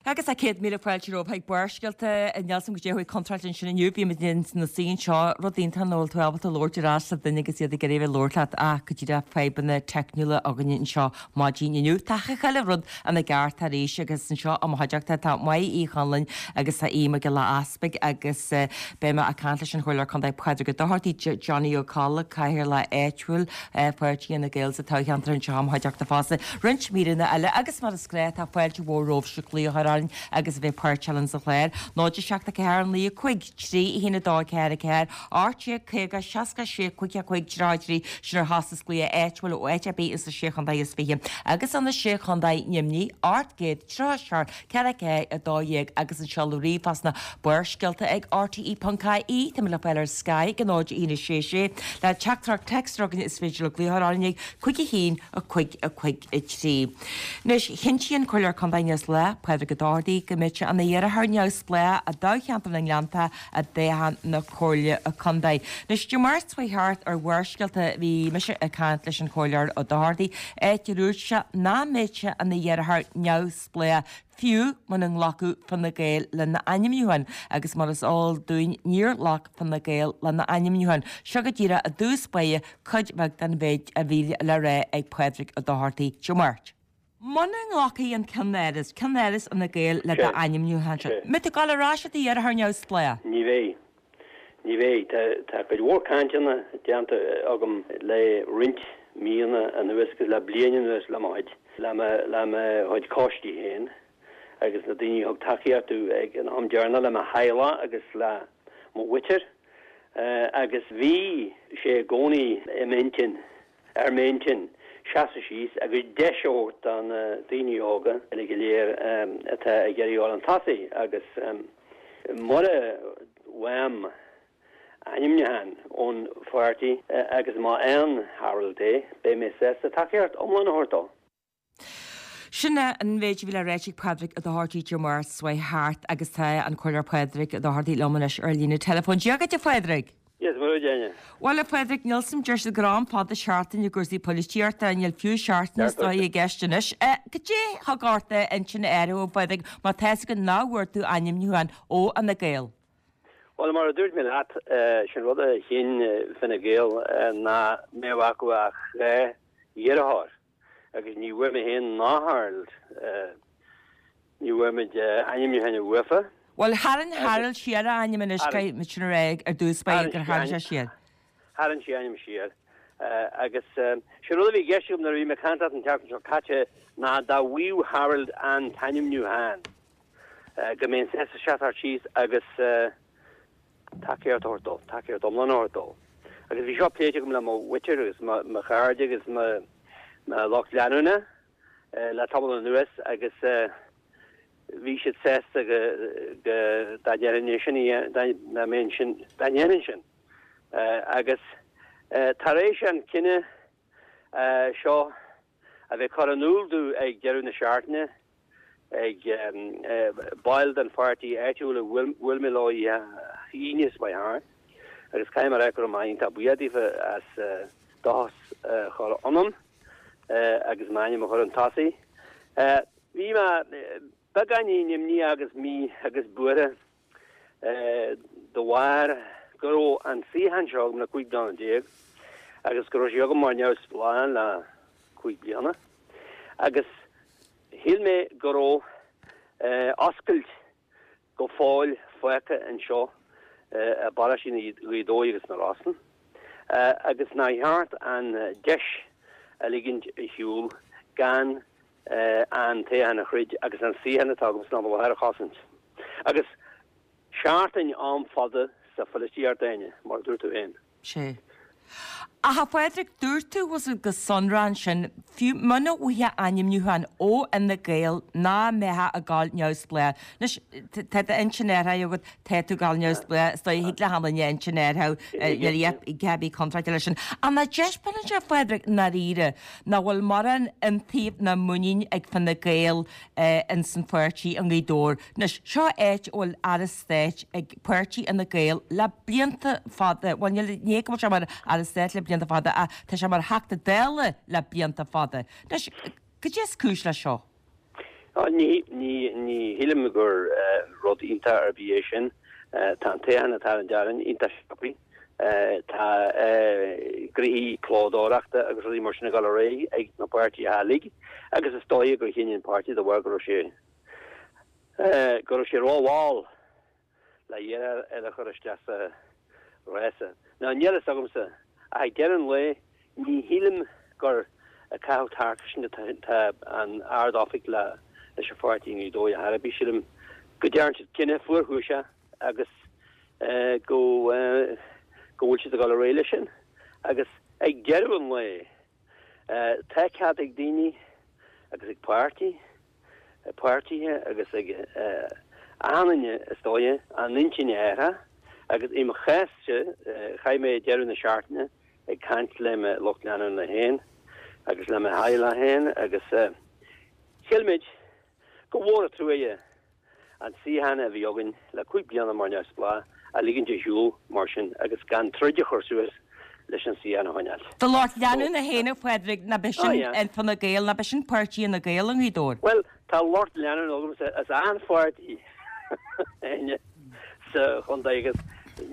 Agus tá 100,000 fáilte romhaibh chuig Barrscéalta. Níl 'fhios a'm goidé a chuaigh contráilte ansin inniu. Bhí muid ina suí anseo, rud iontach nach bhfuil tú ábalta labhairt ar ais le duine agus iad ag iarraidh a bheith ag labhairt leat ach go díreach fadhbanna teicniúla againne anseo maidin inniu. Tá chuile rud ina gceart arís agus anseo i mo chuideachta tá Máire Uí Chonluain agus tá Aodh Mac Giolla Easpaig agus beidh mé ag caint leis an Chomhairleoir Contae Pádraig Ó Dochartaigh, Johnny Ó Colla, Cathaoirleach áitiúil Pháirtí Fhine Gael sa toghcheantar anseo i mo chuideachta fosta. Roinnt míreanna eile agus mar is gnáth tá fáilte mhór romhaibhse glaoch a chur orainn agus a bheith páirteach linn sa chlár. 0 7 4 9 5 3 1 2 4 4 18 50 66 55 33 Sin ar chostas glaoch áitiúil ó áit ar bith ins na Sé Chontae is Fiche agus sna Sé Chontae Nimhní, 837 4 4 12 agus an seoladh ríomhphost ná Barrscéalta ag rte.ie Tá muid le fáil ar Sky ag 0 1 6 6 Le teachtaireacht téacs againn is féidir libh glaoch a chur orainn ag 5 1 5 5 3. Anois, chinntigh an Comhairleoir Contae Neamhspleách, Pádraig Ó Dochartaigh, go mbeidh sé ina iarrthóir neamhspleách i dtoghcheantar na nGleannta i dtoghchán na Comhairle Contae. Anois, Dé Máirt seo chuaigh thart ar Bharrscéalta bhí mise ag caint leis an Chomhairleoir Ó Dochartaigh, áit a dúirt sé nach mbeadh sé ina iarrthóir neamhspleách fiú muna nglacfadh Fine Gael lena ainmniúchán agus mar is eol dúinn níor ghlac Fine Gael lena ainmniúchán. Seo go díreach i dtús báire cuid bheag den mhéid a bhí le rá ag Pádraig Ó Dochartaigh Dé Máirt. Muna nglacfaidh an ceannáras, ceannáras Fhine Gael le d'ainmniúchán seo, mbeidh tú ag dul ar ais i d'iarrthóir neamhspleách? Ní bheidh. Ní bheidh. Tá cuid mhór cainteanna déanta agam le roinnt míonna anuas agus le bliain anuas le mo chuid, le mo, le mo chuid coistí féin agus na daoine a thug tacaíocht domh ag an am deireanach le mo theaghlach agus le mo mhuintir agus bhí sé i gcónaí i m'intinn ar m'intinn seasamh síos agus deis a thabhairt do na daoine óga uile go léir atá ag iarraidh a dhul chun tosaigh agus mura bhfaighim ainmniúchán ón pháirtí agus má fhaigheann Harold é, beidh mé sásta tacaíocht iomlán a thabhairt dó. Sin é an mhéid a bhí le ráit ag Pádraig Ó Dochartaigh Dé Máirt seo chuaigh thart agus tá an Comhairleoir Pádraig Ó Dochartaigh liom anois ar líne teileafóin. Dia dhuit a Phádraig! Dia is Muire duit, a Áine. Bhuel a Phádraig, níl 's a'm, deir siad gur am fada seachtain i gcúrsaí poilitíochta, níl fiú seachtain is dóigh i gceist anois. Cad é thug ort d'intinn a athrú a Phádraig má tá 'fhios agat nach bhfuair tú ainmniúchán ó Fhine Gael? Bhuel, mar a dúirt mé leat, sin rud a chinn Fine Gael nach mbeadh acu ach 2 iarrthóir. Agus ní bhfuair mé féin ná Harold, ní bhfuair muid ainmniúchán uafa. Bhuel, tharraing Harold siar a ainm anois, caithfidh muid sin a rá ar dtús báire gur tharraing sé siar. Tharraing sé a ainm siar. Agus sé rud a bhí i gceist agam nuair a bhí mé ag caint leat an tseachtain seo caite ná dá bhfaigheadh Harold an t-ainmniúchán, go mbeinn sásta seasamh síos agus, tacaíocht a thabhairt dó, tacaíocht iomlán a thabhairt dó. Agus bhí seo pléite agam le mo mhuintir agus mo chairde agus mo lucht leanúna le tamall anuas agus bhí siad sásta go dá ndéanfainn sin, dá mbeinn sin, dá ndéanfainn sin. Agus tar éis an cinneadh seo a bheith curtha in iúl domh ag deireadh na seachtaine ag baill den pháirtí áitiúil a bhuail mé leo oíche Aoine seo chuaigh thart agus caithfidh mé a rá go raibh mé iontach buíoch daofa as dóchas a chur ionam agus m'ainm a chur chun tosaigh. Bhí mé beagáinín imníoch agus mí agus buartha de bharr go raibh an suíochán seo agam le 15 bliana agus go raibh sé agam mar neamhspleách le 5 bliana agus shíl mé go raibh oscailt go fóill fágtha anseo i bparóistí Ghaoth Dobhair agus na Rosann agus nár cheart an deis a ligint ar shiúl gan an toghchán a throid agus an suíochán atá agam san am i láthair a chosaint. Agus seachtain am fada sa pholaitíocht, a Áine, mar a dúirt tú féin. Sea. Ach a Phádraig, dúirt tú go sonrach ansin, fiú muna bhfaighfeá ainmniúchán ó Fhine Gael nach mbeifeá ag gabháil neamhspleách. Anois, tá d'intinn athraithe agat, tá tú ag gabháil neamhspleách, is dóigh, thig le haon duine a intinn a athrú, níl a dhath ar bith contráilte leis sin. Ach nach dtaispeánann sé, a Phádraig, i ndáiríre, nach bhfuil mórán iontaoibh ná muinín ag Fine Gael ins an pháirtí i nGaoth Dobhair. Anois, seo áit a bhfuil Aire Stáit ag páirtí Fhine Gael le blianta fada, bhuel níl, ní hé go bhfuil sé mar Aire Stáit le blianta fada ach tá sé mar Theachta Dála le blianta fada. Anois, cad é is cúis leis seo? Ní shílim gur rud iontach ar bith é sin. Tá an toghchán atá ar an Déardaoin iontach sciobtha. Tá gnoithí clódóireachta agus rudaí mar sin ag dul ar aghaidh ag na páirtithe uilig agus is dóiche gur chinn an páirtí de bharr go raibh sé go raibh sé rómhall le iarracht eile a chur isteach sa rása. Now níl fhios agamsa, ach ag deireadh an lae, ní shílim gur ag caitheamh tarcaisne atá an Ard-Oifig leis an pháirtí i nGaoth Dobhair ar chor ar bith. Sílim go dtearn siad cinneadh fuarchúiseach agus go go bhfuil siad ag dul ar aghaidh leis sin. Agus ag deireadh an lae, tá cead ag daoine agus ag páirtí, páirtithe agus ag achan duine is dóiche a n-intinn a athrá agus i mo chás-sa chaith mé deireadh na seachtaine ag caint le mo lucht leanúna féin agus le mo theaghlach féin agus shíl muid gur mhór an truaighe an suíochán a bhí againn le 5 bliana mar neamhspleách a ligint ar shiúl mar sin agus gan troid a chur suas leis an suíochán a choinneáil. Do lucht leanúna féin, a Phádraig, ná b'é sin in Fine Gael, ná b'é sin páirtí Fhine Gael i nGaoth Dobhair? Bhuel, tá lucht leanúna agamsa as achan pháirtí sa chontae agus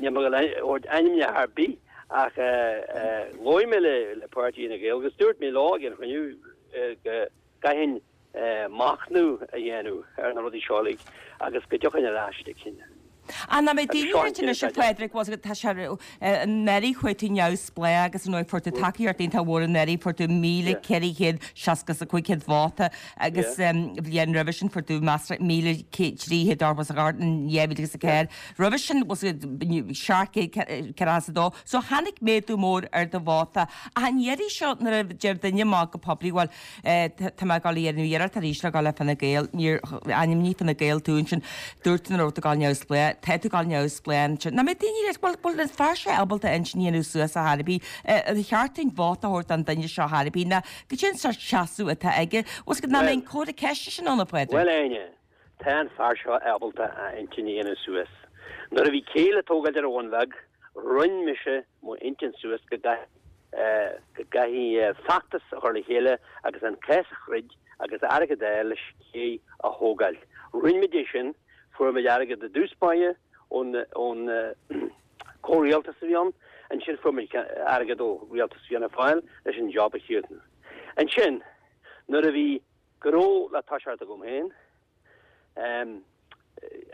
níl mé ag dul a thabhairt ainmneacha ar bith ach labhair mé le páirtí Fhine Gael agus dúirt mé leo ag an chruinniú go gcaithfinn machnamh a dhéanamh ar na rudaí seo uilig agus go dtiocfainn ar ais le cinneadh. Ach nach mbeidh daoine ag ráit anois a Phádraig, bhfuil a fhios agat, tá sé, anuraidh chuaigh tú neamhspleách agus ar ndóigh fuair tú tacaíocht iontach mhór anuraidh, fuair tú 1,465 vóta agus bhliain roimhe sin fuair tú measartha 1,388 in 2004. Roimhe sin bhfuil a fhios agat 742. So tháinig méadú mór ar do vóta. Ach an iarraidh seo nuair a deir duine amach go poiblí bhuel, Tá mé ag dul a dhéanamh iarracht arís le dhul le Fine Gael. Níor ainmnigh Fine Gael tú ansin. Dúirt tú nach raibh tú ag dul neamhspleách. Tá tú ag dul neamhspleách ansin. Nach mbeidh daoine ag rá, bhuel, bhfuil an fear seo ábalta a intinn a dhéanamh suas ar chor ar bith? Ar cheart dúinn vóta a thabhairt don duine seo ar chor ar bith? Nó cad é an sórt seasamh atá aige? Bhfuil a fhios agat, nach mbeidh an comhartha ceiste sin ann, a Phádraig? Bhuel, a Áine, tá an fear seo ábalta a intinn a dhéanamh suas. Nuair a bhí cé le tógáil ar an Bhun Bheag, rinne mise mo intinn suas go go gcaithfí feachtas a chur le chéile agus an cás a throid agus airgead a fháil leis an ché a thógáil. Rinne muid é sin, fuair muid airgead i dtús báire ón ón comhrialtas a bhí ann, ansin fuair muid airgead ó rialtas Fianna Fáil leis an job a chríochnú. Ansin, nuair a bhí gnó le toiseacht agam féin,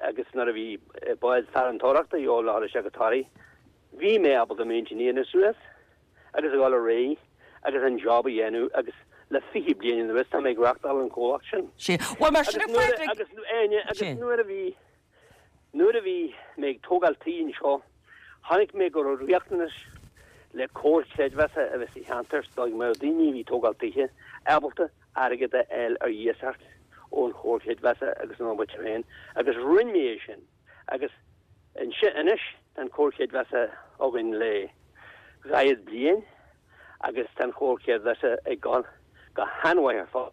Agus nuair a bhí bád farantóireachta a dhíobháil le dhul isteach go Toraigh, bhí mé ábalta m'intinn a dhéanamh suas agus a dhul ar aghaidh agus an job a dhéanamh agus le 20 bliain anuas tá mé ag reachtáil an comhlacht sin. Sea. Bhuel, mar sin a Phádraig. Agus nuair, agus nuair a bhí, nuair a bhí mé ag tógáil tí anseo, chonaic mé go raibh riachtanas le comhar creidmheasa a bheith sa cheantar go mbeadh daoine a bhí ag tógáil tithe ábalta airgead a fháil ar iasacht ón Chomhar Creidmheasa agus óna mhuintir féin agus rinne mé é sin agus anois tá an Comhar Creidmheasa againn le dhaichead bliain agus tá an Comhar Creidmheasa ag dul go han-mhaith ar fad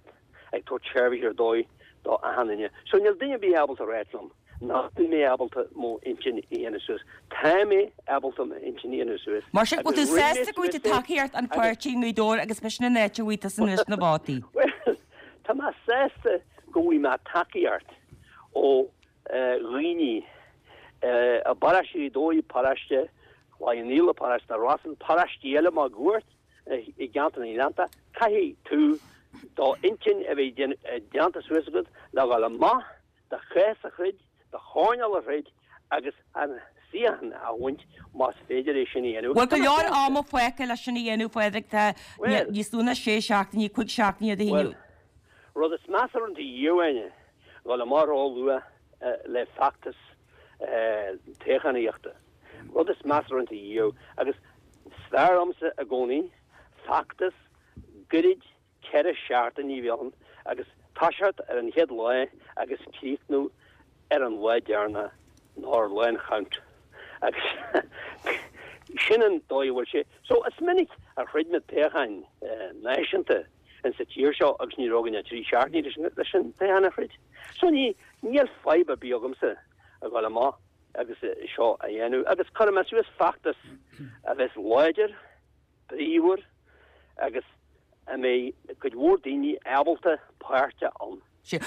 ag tabhairt seirbhís ar dóigh do achan duine. So níl duine ar bith ábalta a ráit liom nach bhfuil mé ábalta mo intinn a dhéanamh suas. Tá mé ábalta mo intinn a dhéanamh suas. Mar sin, bhfuil tú sásta go bhfaighidh tú tacaíocht an pháirtí i nGaoth Dobhair agus b'shin an áit a bhfaighidh tusa anois na vótaí? Bhuel, tá mé sásta go bhfaighidh mé tacaíocht ó dhaoine i bparóiste Ghaoth Dobhair, paróiste Chloich Cheann Fhaola, paróiste na Rosann, paróistí eile máguaird i gceantar na nGleannta. Caithfidh tú do intinn a bheith déanta suas agat le dhul amach do chás a throid, do choirnéal a throid agus an suíochán a bhaint más féidir é sin a dhéanamh. Bhuel, go leor ama fágtha leis sin a dhéanamh, Phádraig, tá níos lú ná sé seachtainí, 5 seachtainí idir Bhuel, rud is measa a rinne tú riamh, a Áine, dhul amach ró-luath le feachtas toghchánaíochta. Rud is measa a rinne tú riamh agus is fearr liomsa i gcónaí feachtas gairid 4 seachtainí a bheith ann agus toiseacht ar an chéad lá agus críochnú ar an lá deireanach nó ar lá an count agus sin an dóigh a bhfuil sé. So is minic a throid muid toghcháin náisiúnta in sa tír seo agus ní raibh againn ach 3 seachtainí leis an toghchán a throid. So ní níl fadhb ar bith agamsa a dhul amach agus seo a dhéanamh agus cuirfidh mé suas feachtas a bheas láidir, bríomhar agus a mbeidh cuid mhór daoine ábalta páirt ann. Sea.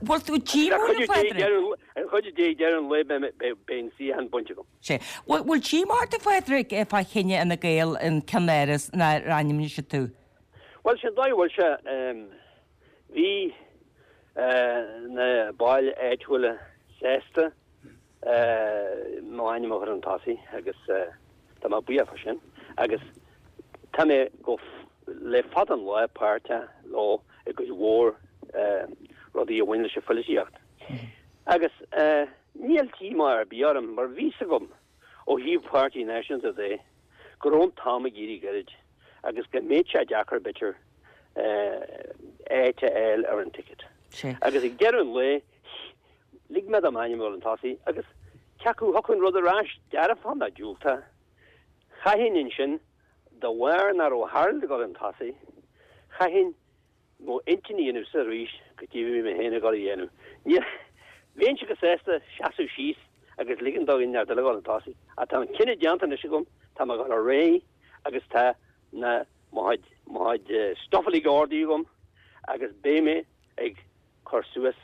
Bhfuil tú díomúil, a Phádraig? Ar chuidiú Dé ag deireadh an lae beidh an suíochán bainte agam. Sea. Bhfuil díomá ort, a Phádraig, fá chinneadh Fhine Gael an ceannáras nár ainmnigh siad tú? Bhuel, sin dóigh a bhfuil sé. Bhí na baill áitiúla sásta m'ainm a chur chun tosaigh agus tá mé buíoch fá sin agus tá mé go le fada an lá páirteach leo i gcuid mhór rudaí a bhain leis an phoilitíocht. Agus níl díomá ar bith orm mar bhí 's agam ó thaobh Páirtí Náisiúnta de go raibh an t-am ag éirí gairid agus go mbeadh sé deacair b'fhéidir áit a fháil ar an ticket. Agus ag deireadh an lae lig mé do m'ainm a dhul chun tosaigh agus cé acu a thiocfadh an rud ar ais, dearfach nó diúltach, chaithfinn ansin, de bharr nach raibh Harold ag dul chun tosaigh, chaithfinn mo intinn a dhéanamh suas arís goidé a bhí mé féin ag dul a dhéanamh. Níl, bheinnse go sásta seasamh síos agus ligean do dhuine eile a dhul chun tosaigh ach tá an cinneadh déanta anois agam, tá mé ag dul ar aghaidh agus tá na, mo chuid, mo chuid stuff uilig ordaithe agam agus beidh mé ag cur suas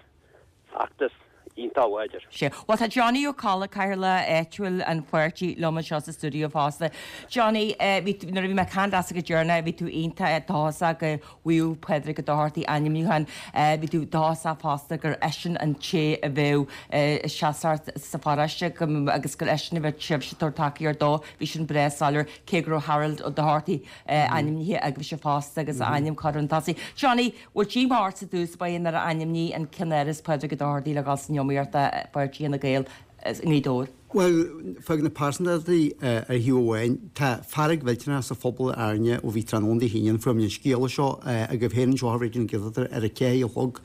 feachtas iontach láidir. Sea. Bhuel, tá Johnny Ó Colla, Cathaoirleach áitiúil an pháirtí, liom anseo sa stiúideo fosta. Johnny, bhí tú, nuair a bhí mé ag caint leatsa go deireanach, bhí tú iontach dóchasach go bhfaigheadh Pádraig Ó Dochartaigh ainmniúchán. Bhí tú dóchasach fosta gur eisean an té a bheadh ag seasamh sa pharóiste agus gur eisean a bheadh sibhse ag tabhairt tacaíocht dó. Bhí sin breá soiléir, cé go raibh Harold Ó Dochartaigh ainmnithe agaibhse fosta agus a ainm curtha chun tosaigh. Johnny, Bhfuil díomá ort i dtús báire nár ainmníodh an ceannáras Pádraig Ó Dochartaigh le dhul san iomaíocht do pháirtí Fhine Gael i nGaoth Dobhair? Bhuel, fág na pearsantachtaí ar thaobh amháin. Tá fearg mhillteanach sa phobal ar Árainn ó bhí tráthnóna Dé hAoine ann. Fuair muid an scéala seo agaibh féin anseo ar Raidió na Gaeltachta ar a 4 a chlog.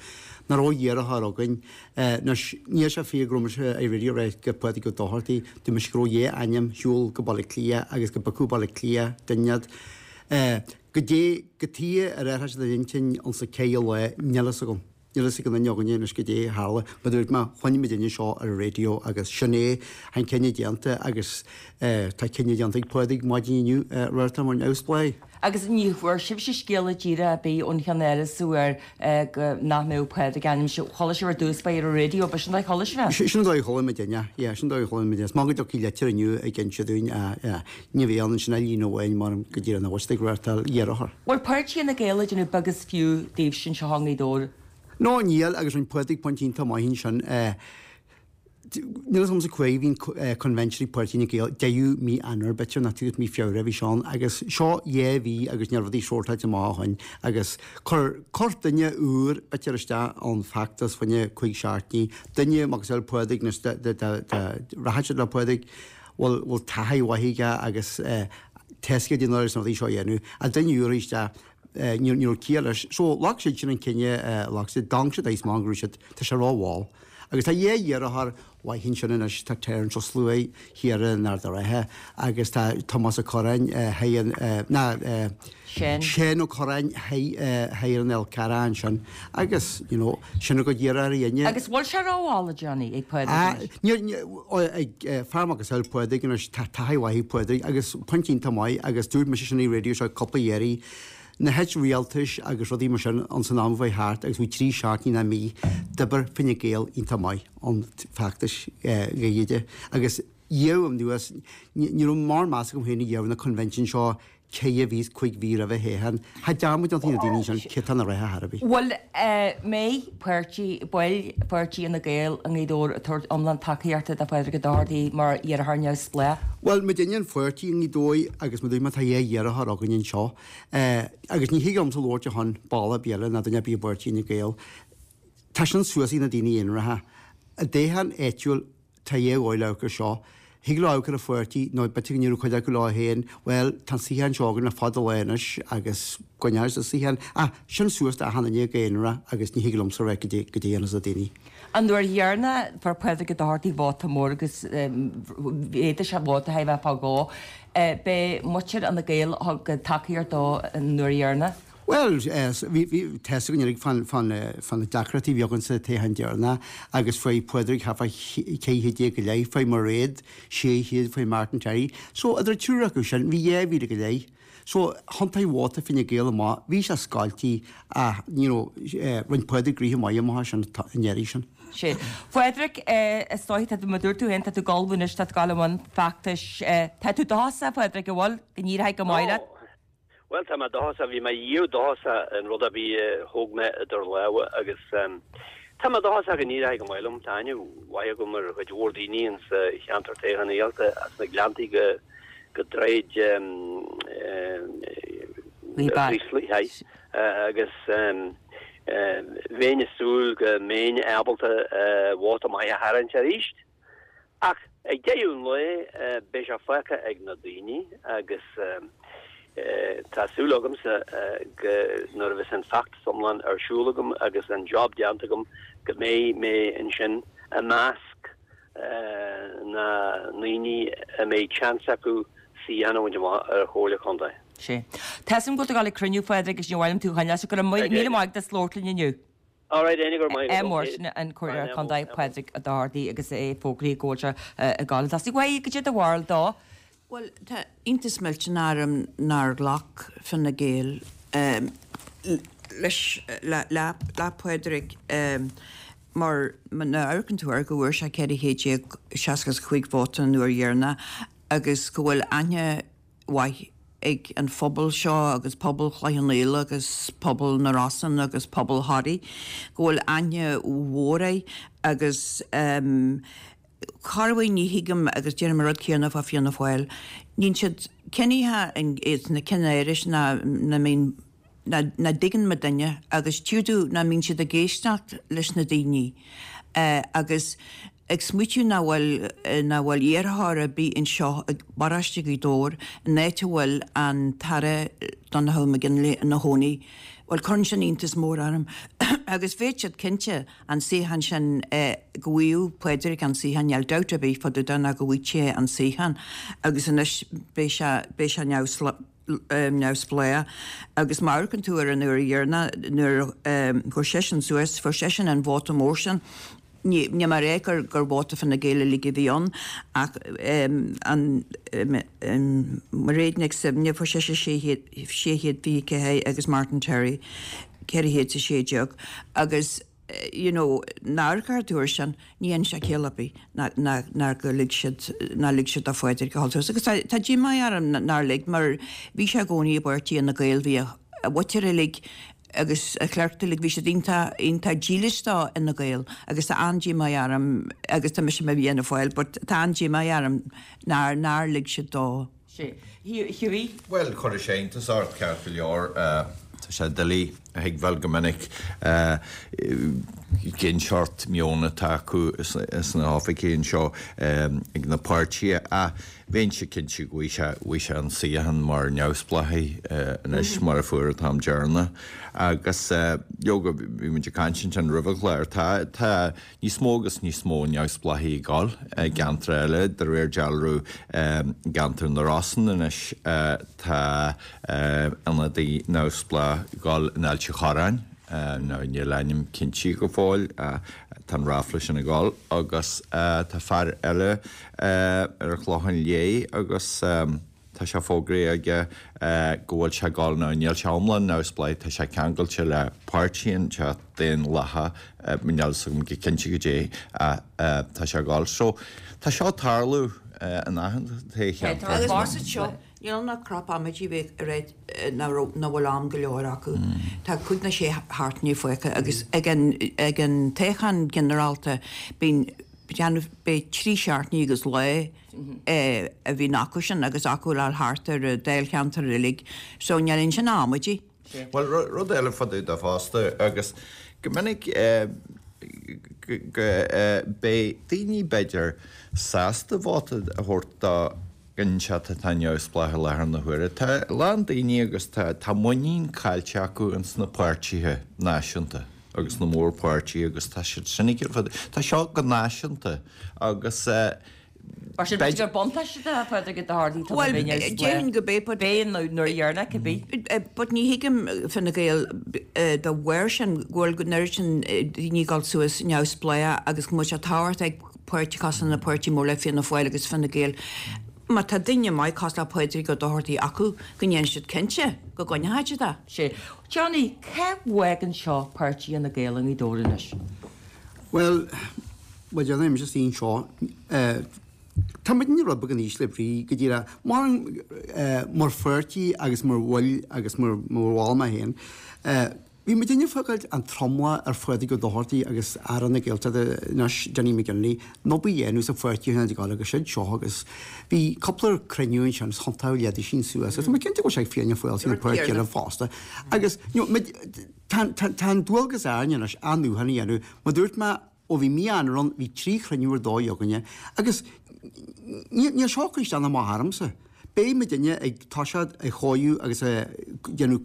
Nach raibh iarrthóir againn. Anois, níl sé fíor go raibh mise ar an raidió ag rá gur Pádraig Ó Dochartaigh. Dúirt mise go raibh dhá ainm ar shiúl go Baile Átha Cliath agus go bpiocfadh Baile Átha Cliath duine iad. Goidé, cad chuige ar athraigh siad a n-intinn ins an ceithre lá, níl fhios agam. Níl fhios ag aon duine againne anois goidé a tharla. Mar dúirt mé, chluin muid duine seo ar an raidió agus sin é, tá an cinneadh déanta agus tá cinneadh déanta ag Pádraig maidin inniu, reáchtáil mar neamhspleách. Agus ní bhfuair sibhse scéala díreach ar bith ón cheannáras ar go nach mbeadh Pádraig ainmnithe. Chuala sibh ar dtús báire ar an raidió, b'shin an dóigh a chuala sibh é? Sin an dóigh a chuala muidinne, yeah, sin an dóigh a chuala muidinne. Is maith go dtiocfaidh litir inniu ag inse dúinn, yeah. Ní bheidh ann ansin ach líne amháin mar go díreach nach bhfuil siad ag reáchtáil iarrthóir. Bhfuil páirtí Fhine Gael ag déanamh beag is fiú daoibhse anseo i nGaoth Dobhair? No, níl, agus rinne Pádraig pointe iontach maith ansin. Níl fhios agamsa cá huair a bhí an convention ag Páirtí Fhine Gael, deireadh mí Eanáir b'fhéidir, nó tús mí Feabhra a bhí sé ann, agus seo dhá mhí agus ní raibh rudaí sórtáilte amach ó shin, agus chuir, chuir duine úr b'fhéidir isteach an feachtas fá choinne cúig seachtainí, duine macasamhail Pádraig nó rachadh siad le Pádraig, bhfuil, bhfuil taithí mhaith aige agus tá fhios aige goidé na rudaí seo a dhéanamh, ach duine úr isteach, ní raibh ciall leis. So, ghlac siad sin an cinneadh, ghlac siad, d'amharc siad is maith go raibh siad, tá sé rómhall. Agus tá dhá iarrthóir mhaith ansin anois, tá Terence Ó Sluaighe thiar in Ard a' Rátha agus tá Tomás Ó Curráin thiar, ná, Seán Ó Curráin thiar in Fhál Carrach ansin agus, you know, sin a gcuid iarrthóirí inniu. Agus bhfuil sé rómhall, a Johnny, ag Pádraig anois? Níl, níl, ag fear macasamhail Pádraig anois, tá taithí mhaith ag Pádraig agus pointe iontach maith agus dúirt mise sin ar an raidió seo cúpla iarraidh, na hait rialtais agus rudaí mar sin ins an am a bheidh thart agus bhí trí seachtainí ná mí d'oibir Fine Gael iontach maith an feachtas Gaeilge agus iamh anuas ní raibh mórán meas agam féin a dhéanamh na convention seo ceithre mhí is cuig mhí roimhe théann Tá dearmad déanta ag na daoine sin cé tá na reithe thar a bith. Bhfuil mbeidh páirtí, baill pháirtí Fhine Gael i nGaoth Dobhair ag tabhairt iomlán tacaíochta do Phádraig Ó Dochartaigh mar iarrthóir neamhspleách? Bhuel, muidinne an pháirtí i nGaoth Dobhair agus mar dúirt mé tá dhá iarrthóir againn anseo agus ní thig liomsa labhairt ar shon ball ar bith eile ná duine ar bith i bpáirtí Fhine Gael. Tá sin suas ag na daoine aonaracha. I dtoghchán áitiúil Tá dhá dhóigh le amharc air seo. Thig leo amharc ar an pháirtí, nó b'fhéidir go ndéarfadh cuid acu leo féin, bhuel, tá an suíochán seo againn le fada lá anois agus coinneoidh muid an suíochán. Ach sin suas do achan duine go haonarach agus ní thig liomsa a rá goidé a dhéanfas na daoine. An uair dheireanach fuair Pádraig Ó Dochartaigh vóta mór agus mhéadaigh sé vóta thar a bheith fá dhó. B'é muintir Fhine Gael a thug tacaíocht dó an uair dheireanach. Bhuel, bhí, bhí, tá fhios againn uilig fán, fán, fá na deacrachtaí a bhí againn sa toghchán deireanach agus fuair Pádraig thart fá 1400 go leith, fuair Mairéad 600, fuair Martin Terry. So, idir an triúr acu sin, bhí 2,000 go leith. So, thiontaigh vóta Fine Gael amach, bhí sé scoiltí ach, you know, rinne Pádraig gnoithe maith amach as sin an iarraidh sin. Sea. Phádraig, is dóiche, tá tú, mar dúirt tú féin, tá tú ag ullmhú anois, tá tú ag dul i mbun feachtais. Tá tú dóchasach, a Phádraig, an bhfuil, go n-éireoidh go maith leat? Bhuel, tá mé dóchasach, bhí mé riamh dóchasach in rud ar bith a thóg mé idir lámha agus tá mé dóchasach go n-éireoidh go maith liom. Tá aithne mhaith agam ar chuid mhór daoine insa cheantar toghchánaíochta, as na Gleanntaí go go Droichead Chraoslaigh, agus bheinn ag súil go mbeinn ábalta vóta maith a tharraingt arís. Ach ag deireadh an lae, beidh sé fágtha ag na daoine agus tá súil agamsa go nuair a bheas an feachtas iomlán ar siúl agam agus an job déanta agam go mbeidh mé ansin i measc na ndaoine a mbeidh seans acu suíochán a bhaint amach ar Chomhairle Contae. Sea. Tá 'fhios a'm go bhfuil tú ag dul ag cruinniú, a Phádraig, agus ní mhaith liom tú a choinneáil, so go raibh míle maith agat as labhairt linn inniu. Alright, Áine, go raibh maith agat. Mar sin an Comhairleoir Contae Pádraig Ó Dochartaigh agus é fógraithe go bhfuil sé ag dul chun tosaigh. Bhuel, cad é do bharúil dó. Bhuel, tá iontas millteanach orm nár ghlac Fine Gael leis, le Pádraig mar má amharcann tú air go bhfuair sé 1465 vóta an uair dheireanach agus go bhfuil aithne mhaith ag an phobal seo agus pobal Chloich Cheann Fhaola agus pobal na Rosann agus pobal Thoraí, go bhfuil aithne mhór air agus corruair ní thuigim agus deirim an rud céanna fá Fianna Fáil, níonn siad ciníocha sna cinn áiris ná mbíonn ná dtuigeann muidinne agus tchí tú ná mbíonn siad ag éisteacht leis na daoine agus ag smaoitiú ná bhfuil ná bhfuil iarrthóir ar bith anseo i bparóiste Ghaoth Dobhair in áit a bhfuil an tAire Donnchadh McGinley ina chónaí. Bhuel cuireann sin iontas mór orm agus bheadh siad cinnte an suíochán sin go bhfaigheadh Pádraig an suíochán níl dabht ar bith fá dtaobh de ná go bhfaigheadh sé an suíochán agus anois beidh sé beidh sé neamhspleách neamhspleách agus má amharcann tú ar an uair dheireanach nuair a chuir seisean suas, fuair seisean an vóta mór sin. Ní níl mé ag rá gur gur vóta Fine Gael uilig a bhí ann ach an Mairéad Nic Suibhne fuair sise 624 agus Martin Terry 416 agus you know, nuair a amharcann tú air sin, ní dhéanann sé ciall ar bith nár gur lig siad, nár lig siad do Phádraig a dhul suas. Agus tá, tá díomá orm nár lig mar bhí sé i gcónaí i bpáirtí Fhine Gael, bhí a, a mhuintir uilig agus a chlann uilig, bhí siad iontach, iontach dílis do Fhine Gael agus tá an-díomá orm agus tá mise i mo Fhianna Fáil but tá an-díomá orm nár, nár lig siad dó. Sea. Hughie? Bhuel, chuirfeadh sé iontas ort, ceart go leor. Tá sé doiligh a thuigbheáil go minic cén seort meon atá acu sna hoifigí anseo ag na páirtithe ach bheinnse cinnte go bhfaighidh sé an suíochán mar neamhspleáchaí anois mar a fuair an t-am deireanach. Agus leoga, bhí muid ag caint ansin roimh an chlár, tá Níos mó agus níos mó neamhspleáchaí ag dul i gceantair eile, de réir dealraimh i gceantar na Rosann anois tá ionadaí neamhspleách ag dul in Ailt an Chorráin, now níl a ainm cinntithe go fóill, tá an ráfla sin ag dul, agus tá fear eile ar an Chlochán Liath agus. Tá sé fógraithe aige go bhfuil sé ag dul, now níl sé iomlán neamhspleách, tá sé ceangailte le páirtí inteacht Daonlathach, níl a fhios agam go cinnte goidé tá sé ag dul. So, tá seo ag tarlú in achan toghcheantar. Agus más iad seo, níl ann ach crop amaidí bheith ag rá nach raibh, nach bhfuil am go leor acu. Tá cúig nó sé seachtainí fágtha agus ag an, ag an toghchán ginearálta bíonn, beidh trí seachtainí agus lá a bhíonn acu sin agus acu le thart ar an dáilcheantar uilig so níl ansin ach amaidí. Bhuel, rud eile fá dtaobh de fosta agus go minic go beidh daoine b'fhéidir sásta vóta a thabhairt do dhuine inteacht atá neamhspleách i láthair na huaire. Tá a lán daoine agus tá muinín caillte acu ins na páirtithe náisiúnta agus na mórpháirtithe agus tá siad sin ag iarraidh, tá seo go náisiúnta agus Mar sin, b'fhéidir gur buntáiste do Phádraig Ó Dochartaigh tá Bhuel, déarfainn go b'é, but. B'é nuair a dhearna, cibé. But ní thuigim Fine Gael dá bharr sin, go bhfuil an oiread sin daoine ag dul suas neamhspleách agus go bhfuil sé tábhachtach ag páirtí cosúil na páirtí mór le Fianna Fáil agus Fine Gael. Má tá duine maith cosúil le Pádraig Ó Dochartaigh acu, go ndéanfaidh siad cinnte go gcoinneochaidh siad é. Sea. Johnny, cá bhfágann seo páirtí Fhine Gael i nGaoth Dobhair anois? Bhuel, mar a déarfainnse anseo, tá muidne rud beag in ísle brí, go díreach, mar, mar pháirtí agus mar bhaill agus mar bhall mé féin. Bhí muidinne ag fágáil an tromlach ar Phádraig Ó Dochartaigh agus Aire na Gaeltachta anois, Dinny McGinley, an obair a dhéanamh sa pháirtí a ag dul agus siad seo agus bhí cúpla cruinniú ansin is thiontaigh leithéidí sin suas agus tá mé cinnte go bhfuil sé ag Fianna Fáil is na páirtithe eile fosta agus you know, tá, tá, tá an dualgas orainn anois athnuachan a dhéanamh. Mar dúirt mé, Ó bhí mí Eanáir ann, bhí 3 chruinniú ar dóigh againne agus níl seo ag cur isteach ná amach ormsa. Beidh muidinne ag toiseacht ag chóiriú agus ag déanamh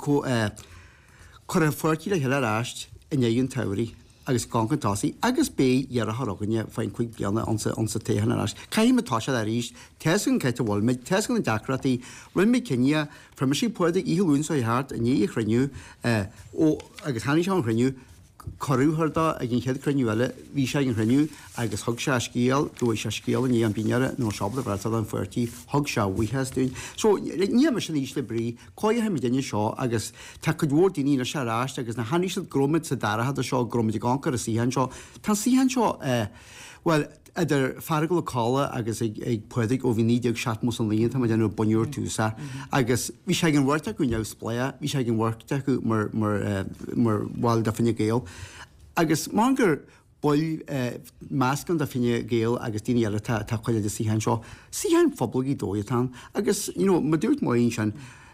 cur an pháirtí le chéile ar ais i ndiaidh an tsamhraidh agus gabháil chun tosaigh agus beidh iarrthóir againne faoin 5 bliana ansa toghchán ar ais. Caithfidh muid toiseacht arís, tá's againn cá háit a bhfuil muid, tá's againn na deacrachtaí, rinne muid cinneadh, fuair mise Pádraig oíche Luain seo thart i ndiaidh an chruinniú ó agus tháinig sé ón chruinniú, Cuireadh a thabhairt dó ag an chéad chruinniú eile. Bhí sé ag an chruinniú agus thug sé a scéal, go bhfuair sé scéal i ndiaidh an dinnéara nach raibh sé ábalta freastal ar an pháirtí, thug sé a bhuíochas dúinn. So, níl mise in ísle brí, cóireoidh muidinne seo agus tá cuid mhór daoine anois ar ais agus na chonaic siad go raibh muid sa dara chuid seo, go raibh muid ag amharc ar an suíochán seo. Tá an suíochán seo, eh, bhuel, idir Feargal Ó Colla agus ag ag Pádraig ó bhí 1979 tá mé ag déanamh bunúr tús é agus bhí sé ag an bheirt acu neamhspleách, bhí sé ag an bheirt acu mar mar eh, mar bhaill de Fine Gael agus mar gur baill eh, meascán de Fine Gael agus daoine eile atá atá cuid de suíochán seo, suíochán phobal Ghaoth Dobhair atá ann agus you know mar dúirt Máirín sin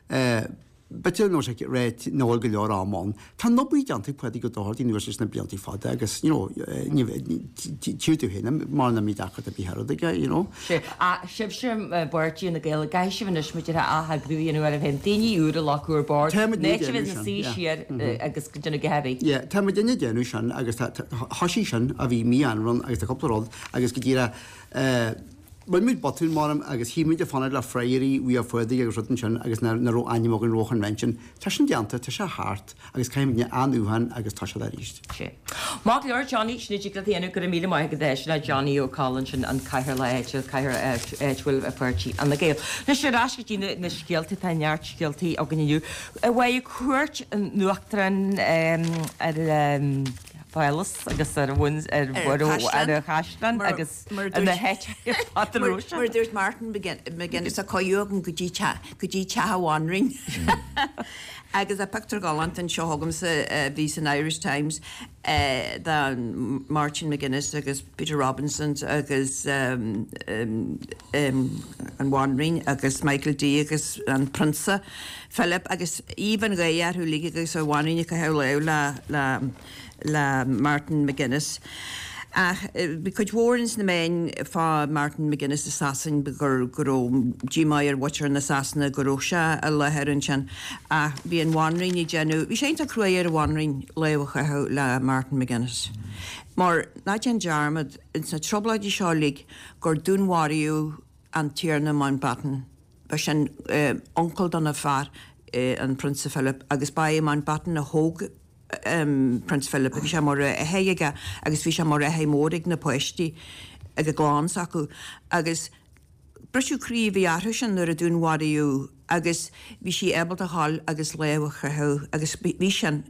eh, B'fhéidir nach bhfuil sé réidh nach bhfuil go leor am ann. Tá an obair déanta ag Pádraig Ó Dochartaigh anuas leis na blianta fada agus, you know, tchí tú féin mar nach mbíonn deacracht ar bith ar aige, you know. Sea. Ach sibhse i bpáirtí Fhine Gael, an gcaithfidh sibh anois muid a atheagrú a dhéanamh oraibh féin, daoine úra a locadh ar bord, Tá muid ná ag sibh déanamh ina sin, suí yeah. siar agus go déanamh go heavy. Yeah, tá muid ag déanamh sin agus tá, thoisigh sin a bhí mí Aibreán agus tá cúpla rud agus go díreach, eh, Rinne muid botún, maram, agus shíl muid ag fanacht le freagraí uaidh Phádraig agus rud ansin agus nach raibh ainm againn roimh an convention. Tá sin déanta, tá sé thart agus caithfidh muidne athnuachan agus toiseacht arís. Sea. Maith go leor, Johnny, sin a dtig leat a dhéanamh, go raibh míle maith agat é sin é Johnny Ó Colla ansin, an cathaoirleach áitiúil, cathaoirleach áitiúil pháirtí Fhine Gael. Anois ar ais go dtí na na scéalta, tá neart scéaltaí againn inniu. Bhuel, cuairt an Uachtaráin ar an Phálás agus ar ar ar an Chaisleán agus Mar a dúirt Martin McGuinness, tá cuireadh agam go dtí go dtí teach an bhanríon. Agus tá pictiúr galánta anseo agamsa a bhí san Irish Times de Martin McGuinness agus Peter Robinson agus an bhanríon agus Michael D agus an Prionsa Philip agus aoibh an gháire orthu uilig agus an bhanríon ag caitheamh lámh le le Martin McGuinness. Ach bhí cuid mhór ins na meáin fá Martin McGuinness i Sasain gur go raibh díomá ar mhuintir na Sasana go raibh sé i láthair ansin. Ach bhí an bhanríon ag déanamh, bhí sé iontach cruaidh ar an bhanríon lámh a chaitheamh le Martin McGuinness. Mar ná déan dearmad ins na trioblóidí seo uilig gur dúnmharaíodh an Tiarna Mountbatten. Ba sin uncail dona fear, an Prionsa Philip, agus ba é Mountbatten a thóg Prince Philip, bhí sé mar athair aige agus bhí sé mar athair mór ag na páistí, ag an gclann s'acu agus briseadh croí a bhí orthu sin nuair a dúnmharaíodh agus bhí sí ábalta a ghabháil agus lámh a chaitheamh agus bhí sin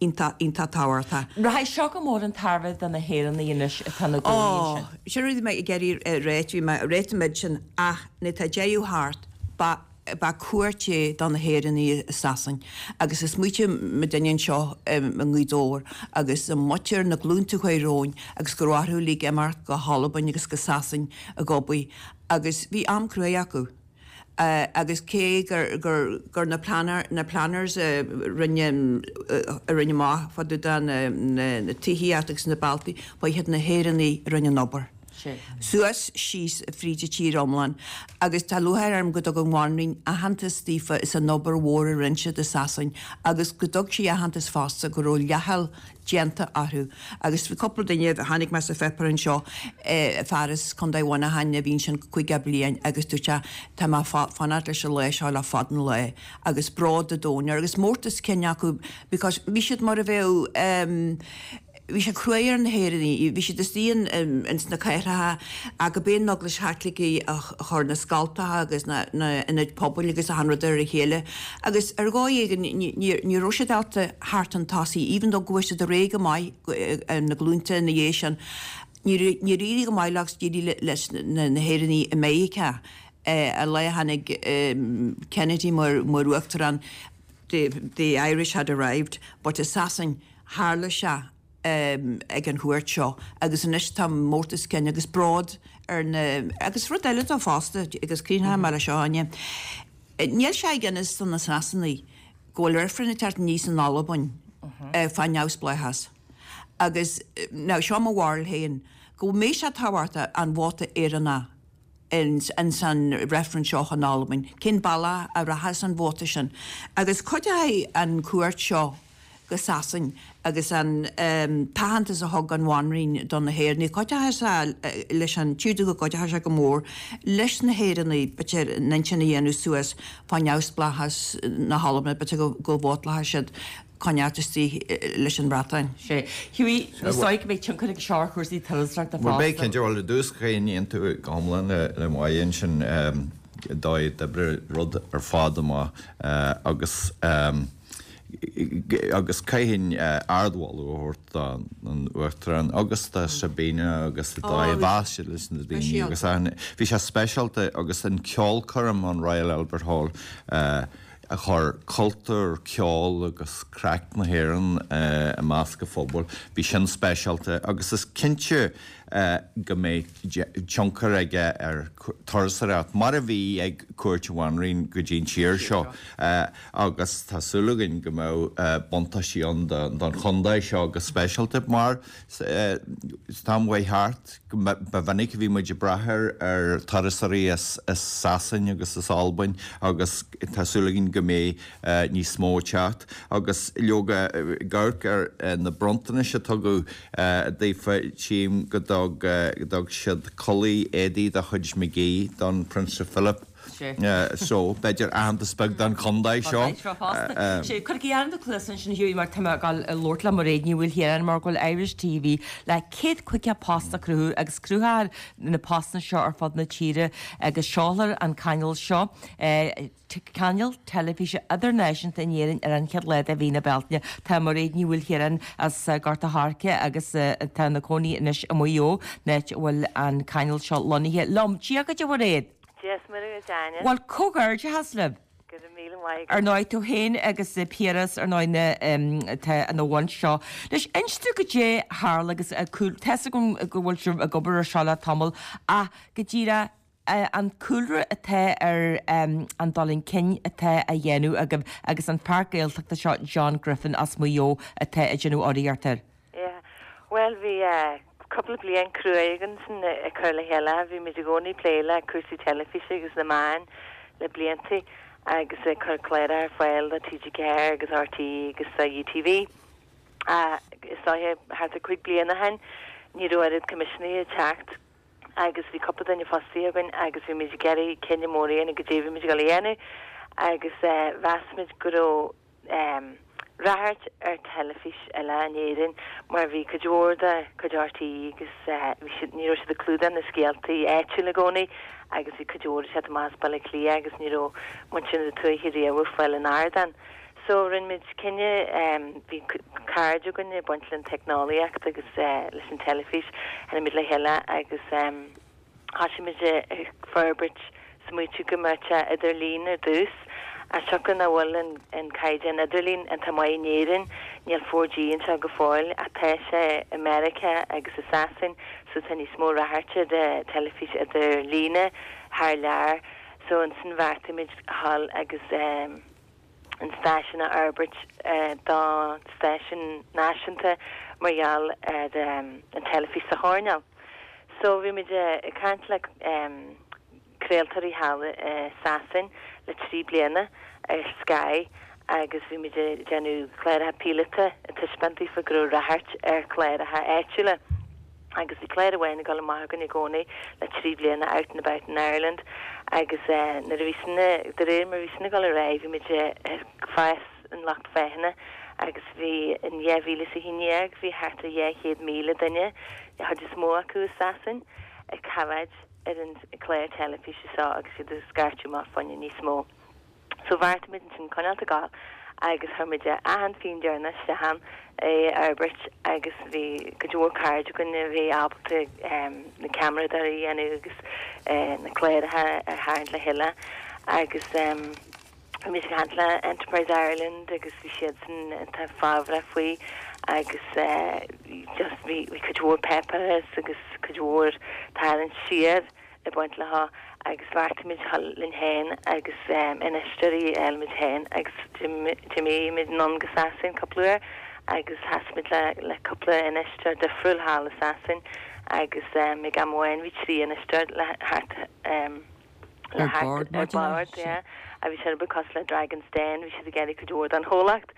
iontach, iontach tábhachtach. Rachaidh seo go mór chun tairbhe do na hÉireannaigh anois atá ina gcónaí ansin. Ó, sin rud a bhí mé ag iarraidh a ráit, bhí mé ag ráit an méid sin ach nuair atá deireadh thart, ba Ba cuairt é do na hÉireannaigh i Sasain agus is smaoitigh muidinne anseo i nGaoth Dobhair agus an muintir na glúnta a chuaigh romhainn agus go raibh orthu uilig imeacht go hAlbain agus go Sasain ag obair agus bhí am cruaidh acu agus cé gur gur gur na planner na planners a rinne a rinne amach fá dtaobh de na na tithíocht agus na bealtaí ba iad na hÉireannaigh a rinne an obair. Suas, síos fríd an tír iomlán agus tá lúcháir orm go dtug an Bhanríon aitheantas daofa is an obair mhór a rinne siad i Sasain agus go dtug sí aitheantas fosta go raibh leathsheal déanta orthu agus bhí cúpla duine, chonaic mé sa pháipéar anseo, fear as Contae Mhuineacháin a bhí ansin 50 bliain agus dúirt sé tá mé fanacht leis an lá seo le fada an lá agus bród an domhain air agus mórtas cinn acu because bhí siad mar a bheadh. Bhí sé cruaidh ar na hÉireannaigh. Bhí siad istigh ins na cathracha ach go b'é an Eaglais Chaitlicigh a chuir na scoltacha agus na ionaid pobail agus achan rud ar a chéile agus ar dhóigh éigin ní raibh siad ábalta theacht chun tosaigh even though go bhfuair siad ar aghaidh go maith na glúnta ina dhiaidh sin. Níor éirigh go maith leo agus d'éirigh leis na hÉireannaigh i Meiriceá an lá a tháinig Kennedy mar uachtarán the Irish had arrived but i Sasain Tharla sé ag an chuairt seo agus anois tá mórtas cinn agus bród ar na, agus rud eile dó fosta, agus críochnóidh mé leis seo, Áine, níl sé ag inis do na Sasanaigh go bhfuil reifreann ag teacht aníos in Albain fá neamhspleáchas agus, now seo mo bharúil féin, go mbeidh sé tábhachtach an vóta Éireannach ins an reifreann seo in Albain, cén bealach a rachas an vóta sin agus cuideoidh an cuairt seo go Sasain agus an t-aitheantas a thug an Bhanríon do na hÉireannaigh, cuideoidh sé leis an, tchífidh tú go gcuideoidh sé go mór leis na hÉireannaigh, b'fhéidir, a n-intinn a dhéanamh suas fá neamhspleáchas na hAlban, b'fhéidir go vótálfaidh siad coinneáilt istigh leis an Bhreatain. Sea. Hughie, is dóigh go mbeidh tionchar ag seo ar chúrsaí turasóireachta fosta. Bhuel, beidh cinnte. Bhuel, i dtús, caithfidh aontú go hiomlán le Máire ansin, dóigh a d'oibrigh rud ar fad amach agus, agus caithfinn ardmholadh a thabhairt don Uachtarán agus do Sabina agus an dóigh a mheas siad leis na daoine agus bhí sé speisialta agus an ceolchoirm an Royal Albert Hall a chuir cultúr, ceol agus craic na hÉireann i measc an phobail, bhí sin speisialta agus is cinnte go mbeidh tionchar aige ar turasóireacht, mar a bhí ag cuairt an Bhanríon go dtí an tír seo agus tá súil againn go mbeidh buntáistí ann don chontae seo go speisialta mar san am a chuaigh thart ba mhinic a bhí muid ag brath ar turasóirí as Sasain agus as Albain agus tá súil againn go mbeidh níos mó ag teacht agus leoga ag amharc ar na bronntanais a tugadh daofa tchím go dtug siad culaith éadaí de chuid McGee don Prionsa Philip so b'fhéidir aitheantas beag don chontae seo. Sea, cuirigí ar na cluasa ansin Hughie mar tá mé ag dul a labhairt le Mairéad Ní Mhaoilchiaráin mar go bhfuil Irish TV le 150 post a chruthú agus cruthófar na postanna seo ar fud na tíre agus seolfar an cainéal seo cainéal teilifíse idirnáisiúnta in Éirinn ar an chéad lá de mhí na Bealtaine. Tá Mairéad Ní Mhaoilchiaráin as Gort a' Choirce agus atá ina cónaí anois i Maigh Eo, an áit a bhfuil an cainéal seo lonnaithe, liom. Dia dhuit, a Mhairéad! Dia is Muire dhuit, Áine. Bhuel, comhghairdeachas libh! Go raibh míle maith agat. Ar ndóigh, tú féin agus Piaras, ar ndóigh, na, atá ina bhun seo. Anois, inis dúinn goidé a tharla agus tá's agam go bhfuil sibh ag obair ar seo le tamall ach go díreach, an cúlra atá ar an dul chun cinn atá á dhéanamh agaibh agus an fear Gaeltachta seo John Griffin as Maigh Eo atá ag déanamh urraíocht air. Yeah. Bhuel bhí cúpla bliain cruaidh againn sin ag cur le chéile. Bhí muid i gcónaí ag plé le cúrsaí teilifíse agus na meáin le blianta agus ag cur cláracha ar fáil do TG4 agus RTÉ agus do UTV. Is dóiche thart ar 5 bliana ó shin ní raibh oiread coimisiúnaithe ag teacht agus bhí cúpla duine fostaithe againn agus bhí muid ag iarraidh cinneadh mór a dhéanamh goidé a bhí muid ag dul a dhéanamh agus mheas muid go raibh ráchairt ar teilifís eile in Éirinn mar bhí cuid mhór de chuid RTÉ agus bhí siad, ní raibh siad ag clúdach na scéaltaí áitiúla i gcónaí agus bhí cuid mhór ag teacht amach as Baile Átha Cliath agus ní raibh muintir na tuaithe riamh ag fáil an ardán. So rinne muid cinneadh, bhí cairde againn ag baint le an teicneolaíocht agus leis an teilifís, tháinig muid le chéile agus thosaigh muid ag forbairt, smaoitiú go mbeadh sé idirlíon ar dtús, as siocair nach bhfuil an caighdeán idirlín iontach maith in Éirinn, níl 4G anseo go fóill ach tá sé i Meiriceá agus i Sasain so tá níos mó ráchairt ar teilifís idirlíne thar lear so ansin bheartaigh muid a dhul agus. an stáisiún a fhorbairt do stáisiún náisiúnta mar gheall ar an teilifís sa choirnéal. So bhí muid ag caint le craoltóirí thall i Sasain le 3 bliana ar Sky agus bhí muid ag déanamh cláracha píolóta ag taispeáint daofa go raibh ráchairt ar chláracha áitiúla. agus bhí clár amháin ag dul amach againn i gcónaí le 3 bliana, Out and About in Ireland, agus nuair a bhí sin, de réir mar a bhí sin ag dul ar aghaidh, bhí muid ag fás an lucht féachana. Agus bhí, in 2011, bhí thart ar 200,000 duine, an chuid is mó acu i Sasain, ag coimhéad ar an chlár teilifíse seo agus iad ag scairteadh amach fá choinne níos mó. So bheartaigh muid ansin coinneáilt ag gabháil agus chuir muid achan phingin deireanach isteach ann é a fhorbairt agus bhí cuid mhór cairde againn a bhí ábalta na ceamaradóirí a dhéanamh agus na cláracha a tharraingt le chéile agus bhí muid ag caint le Enterprise Ireland agus bhí siadsan iontach fábhrach faoi agus just bhí cuid mhór páipéarachas agus cuid mhór tarraingt siar ag baint leo agus bheartaigh muid dhul linn féin agus infheisteoirí a fháil muid féin agus d'imigh muid anonn go Sasain cúpla uair agus sheas muid le le cúpla infheisteoir difriúil thall i Sasain agus ag am amháin bhí 3 infheisteoir le thart le thart ar bord yeah a bhí sé rud beag cosúil le Dragon's Den bhí siad ag iarraidh cuid mhór den chomhlacht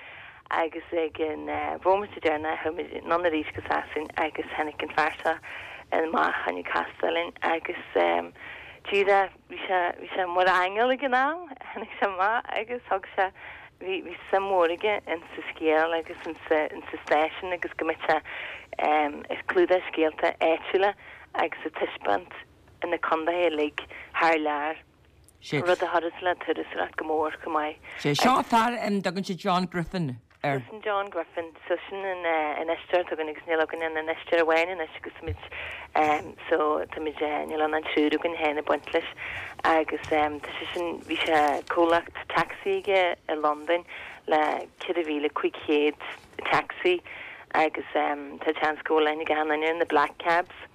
Agus ag an bhomaite deireanach chuaigh muid anonn arís go Sasain agus tháinig an fear seo amach chun castáil linn agus díreach bhí sé, bhí sé mar aingeal ag an am, tháinig sé amach agus thug sé, bhí, bhí suim mhór aige insa scéal agus insa, insa stáisiún agus go mbeadh sé ag clúdach scéalta áitiúla agus ag taispeáint na condaetha uilig thar lear. Sé. Rud a chuireas le turasóireacht go mór chomh maith. Sé seo fear a dtugann siad John Griffin air. Sin John Griffin. So sin an infheisteoir atá againn agus níl againn ach infheisteoir amháin anois agus muid so táimid níl ann ach triúr againn féin ag baint leis agus tá sé sin bhí sé comhlacht taxi aige i Londain le 4,500 taxi agus tá seans go bhfuil aithne ag achan duine ar na black cabs.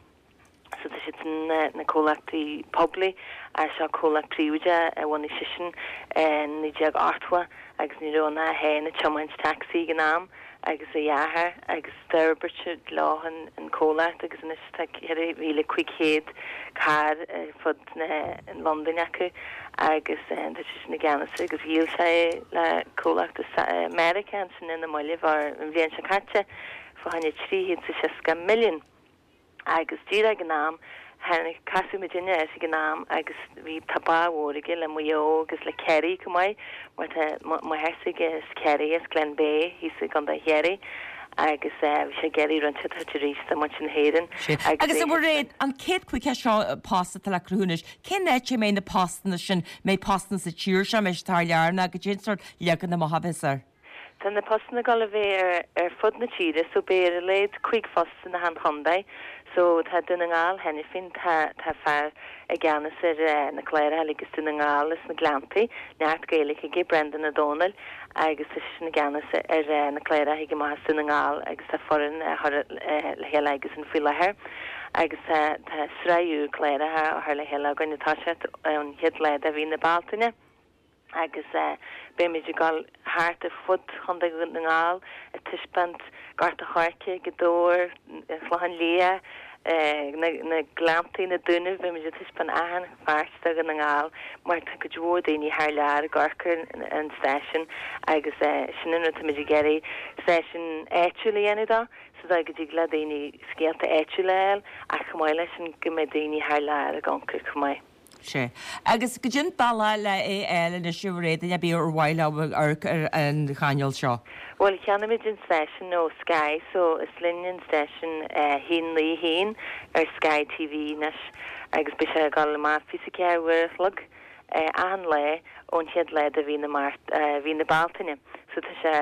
So tá siad sin na comhlachtaí poiblí ach seo comhlacht príobháideach a bhunaigh seisean in 1980 agus ní raibh ann ach é féin ag tiomáint tacsaí ag an am agus a dheartháir agus d'fhorbair siad leo an comhlacht agus anois tá 4,500 carr ar fud na Londain acu agus tá seisean i gceannas agus dhíol sé é le comhlacht i Meiriceá ansin ina mbuille an bhliain seo caite fá choinne 360 milliún. Agus díreach ag an am, tháinig, casadh muidinne air ag an am agus bhí, tá bá mhór aige le Maigh Eo agus le Ciarraí chomh maith mar tá máthair s'aige as Ciarraí, as Glenbeigh thíos i gContae Chiarraí agus bhí sé ag iarraidh roinnt a thabhairt arís do mhuintir na hÉireann Sea. agus Agus é a Mhairéad, an 150 seo post atá le cruthú anois, cén áit a mbeidh na postanna sin? Mbeidh postanna sa tír seo, mbeidh siad thar lear nó goidé an sórt leagan amach a bheas air? Tá na postanna ag dul a bheith ar fud na tíre so beidh ar a laghad 5 phost in achan chontae. So tá Dún na nGall cheana féin, tá tá fear i gceannas ar na cláracha uilig as Dún na nGall is na Gleanntaí, neart Gaeilge aige, Brendan Ó Domhnaill agus tá seisean i gceannas ar na cláracha ag amach as Dún na nGall agus tá foireann á chur le chéile aigesan faoi láthair agus tá tá sraith úr cláracha á chur le chéile againn ag toiseacht ón chéad lá de mhí na Bealtaine. agus beimid ag dul thart ar fud Chontae Dhún na nGall ag taispeáint Gort a' Choirce, Gaoth Dobhair, an Chlochán Liath, na Gleanntaí, na Dúnaibh, beimid ag taispeáint achan pháirt de Dhún na nGall mar tá cuid mhór daoine thar lear ag amharc ar an stáisiún agus sin an rud táimid ag iarraidh stáisiún áitiúil a dhéanamh dó sa dóigh go dtig le daoine scéalta áitiúla a fháil ach chomh maith leis sin go mbeidh daoine thar lear ag amharc air chomh maith. Sea. Agus goidé an bealach le é a fháil anois a Mhairéad, duine ar bith ar mhaith leo amharc ar an chainéal seo? Bhuel, cheannaigh muid an stáisiún ó Sky so is linn an stáisiún 191 ar Sky TV anois agus beidh sé ag dul amach 24 uair a chlog achan lá ón chéad lá de mhí na Márta, mhí na Bealtaine. So tá sé,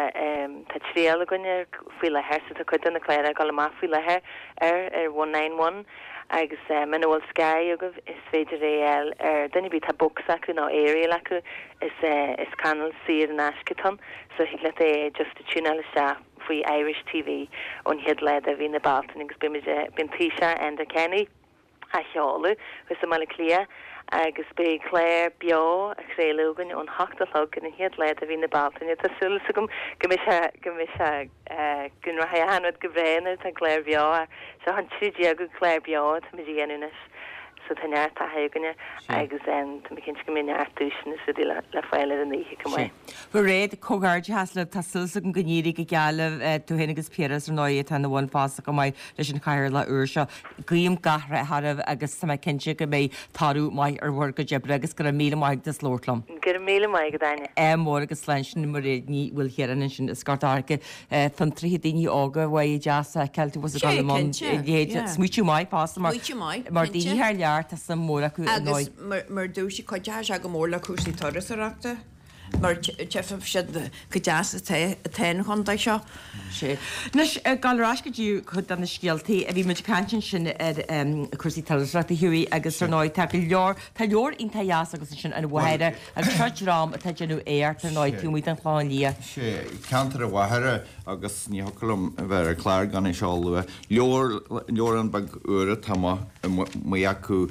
tá triail againn air faoi láthair so tá cuid de na cláracha ag dul amach faoi láthair ar ar 191. Agus muna bhfuil Sky agaibh is féidir é a fháil ar duine ar bith, tá box acu nó aerial acu, is is cainéal saor in aisce atá ann so thig leat é just a tiúnáil isteach faoi Irish TV ón chéad lá de mhí na Bealtaine agus beidh muid, beidh an Taoiseach Enda Kenny á sheoladh thuas i mBaile Átha Cliath agus beidh clár beo á chraoladh againn ón hocht a chlog ar an chéad lá de mhí na Bealtaine. Tá súil agam go mbeidh sé, go mbeidh sé, go rachaidh achan rud go breá nuair atá clár beo Seo an 13ú clár beo atáimid a dhéanamh anois so tá neart taithí againne agus tá mé cinnte go mbeidh neart duaiseanna is rudaí le fáil ar an oíche chomh maith. Mhairéad, comhghairdeachas libh, tá súil agam go n-éirí go geal libh, tú féin agus Piaras ar ndóigh atá ina bhun fosta chomh maith leis an chathaoirleach úr seo. Guím gach rath oraibh agus tá mé cinnte go mbeidh toradh maith ar bhur gcuid oibre agus go raibh míle maith agat as labhairt liom. Go. Go raibh míle maith agat, Áine. Ádh mór agus slán sin Mairéad Ní Mhaoilchiaráin ansin as Gort an Choirce. Fiontraithe, daoine óga, bhuel deas a fheiceáil tú ag dul i mbun leithéid. Smaoitiú maith fosta mar mar daoine thar lear tá suim mhór acu ar ndóigh. Agus mar dúirt sí cuideoidh sé go mór le cúrsaí turasóireachta. mar tchífidh siad chomh deas atá an chontae seo. Sea. Anois, ag dul ar ais go dtí cuid de na scéaltaí, bhí muid ag caint ansin ar cúrsaí turasóireachta, Hughie, agus ar ndóigh tá go leor, tá leabhar iontach deas agat ansin, An Mhachaire, agus seo dream atá ag déanamh éacht ar ndóigh taobh amuigh den Chlochán Liath. Sea, ceantar an Mhachaire agus ní thiocfadh liom a bheith ar an chlár gan é seo a lua. Leabhar, leabhrán beag úr atá amuigh acu,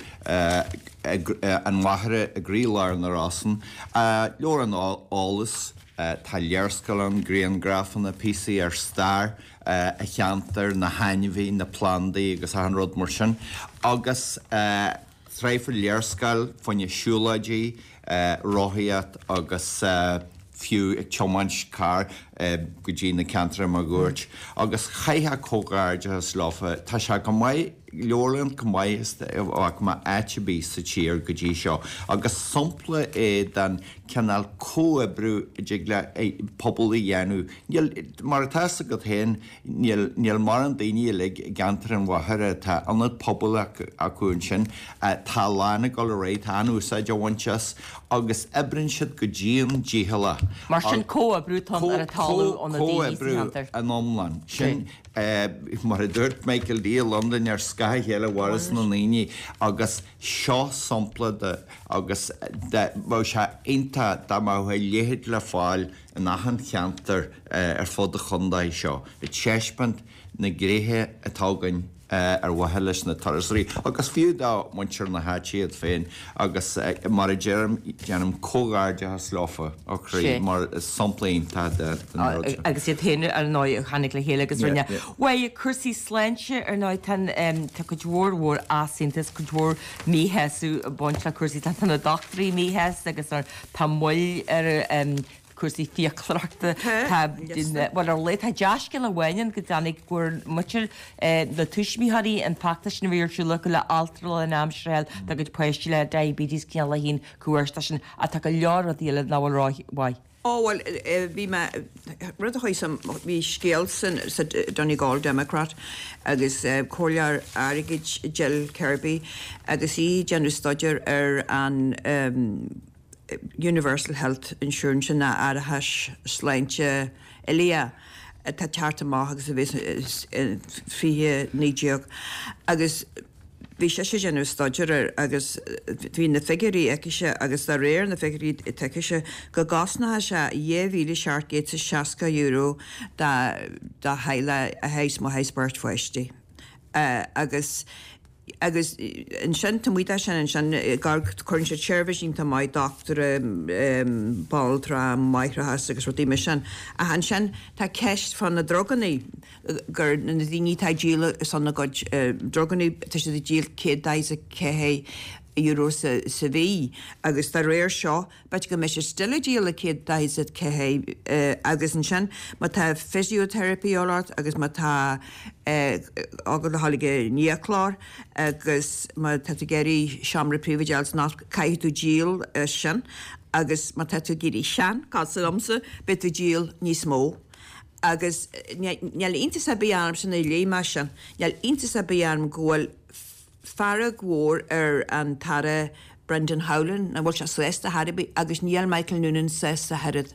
An Mhachaire i gcroílár na Rosann. Leabhrán eolais, tá léarscáil ann, griangrafanna, píosaí ar stair an cheantair, na hainmhithe, na plandaí agus achan rud mar sin. Agus sraith léarscáil fá choinne siúlóidí, rothaíocht agus fiú ag tiomáint carr go dtí na ceantair máguaird. Agus chaithfeá comhghairdeachas leofa, tá sé go maith. Leabharlann chomh maith is a bhfaca mé áit ar bith sa tír go dtí seo agus sampla é den cineál comhoibriú a dtig le pobal a dhéanamh. Níl, mar atá fhios agat féin, níl, níl mórán daoine uilig i gceantar an Mhachaire, tá ionad pobail acu ansin, tá a lán ag dul ar aghaidh, tá an-úsáid á bhaint as agus oibríonn siad go dian dícheallach. Mar sin comhoibriú atá ann ar an talamh ó na daoine sa Comhoibriú cheantar. in iomlán. Sin. Mar a dúirt Michael D i Londain, ar scáth a chéile a mhaireas na ndaoine agus seo sampla de agus bheadh sé iontach dá mbeadh a leithéid le fáil in achan cheantar ar fud an chontae seo, ag taispeáint na gréithe atá againn ar mhaithe leis na turasóirí agus fiú do mhuintir na háite iad féin agus mar a deirim, déanaim comhghairdeachas leofa ó chroí mar is sampla iontach den rud seo. Agus iad féin ar ndóigh a tháinig le chéile agus rinne. Bhuel, cúrsaí sláinte ar ndóigh tá tá cuid mhór mhór easaontas, cuid mhór míshásamh ag baint le cúrsaí tá na dochtúirí míshásta agus tá moill ar cúrsaí fiaclóireachta. Tá, bhuel ar a laghad tá dea-scéal amháin ann go dtáinig go bhfuair muintir na tuismitheoirí an feachtas sin a bhí ar siúl acu le altra lánaimseartha a fháil dá gcuid páistí le diabetes cineál a haon chomh sin ach tá go leor rudaí eile nach bhfuil rómhaith. Ó bhuel bhí mé, rud a chuaigh sa, bhí scéal san, sa Donegal Democrat agus comhairleoir airgid Jill Kirby agus í ag déanamh staidéar ar an Universal Health Insurance sin ná árachas sláinte uilíoch atá ag teacht amach agus a bheas in 2019 agus bhí sise ag déanamh staidéar air agus bhí na figiúirí aicise agus de réir na figiúirí atá aicise go gcosnódh sé €2,760 do theaghlach a théas má théas beirt pháistí agus Agus ansin, taobh amuigh de sin ansin, cuireann siad seirbhís iontach maith, dochtúra, banaltra, máithreachas agus rudaí mar sin. Ach ansin, tá ceist fá na drugannaí, gur na daoine atá ag díol ar son a gcuid drugannaí, tá siad ag díol €144 sa mhí agus dá réir seo, B'fhéidir go mbeidh siad still ag díol ag 144 agus ansin má tá physiotherapy a dhíobháil ort agus má tá agat le dhul ag an fhiaclóir agus má tá tú ag iarraidh seomra príobháideach san ospidéal caithfidh tú díol as sin agus má tá tú ag éirí sean, cosúil liomsa, beidh tú ag díol níos mó. Agus níl iontas ar bith ormsa nuair a léigh mé sin, níl iontas ar bith orm go bhfuil fearg mhór ar an tAire Brendan Howlin, nach bhfuil sé sásta chor ar bith agus níl Michael Noonan sásta ach oiread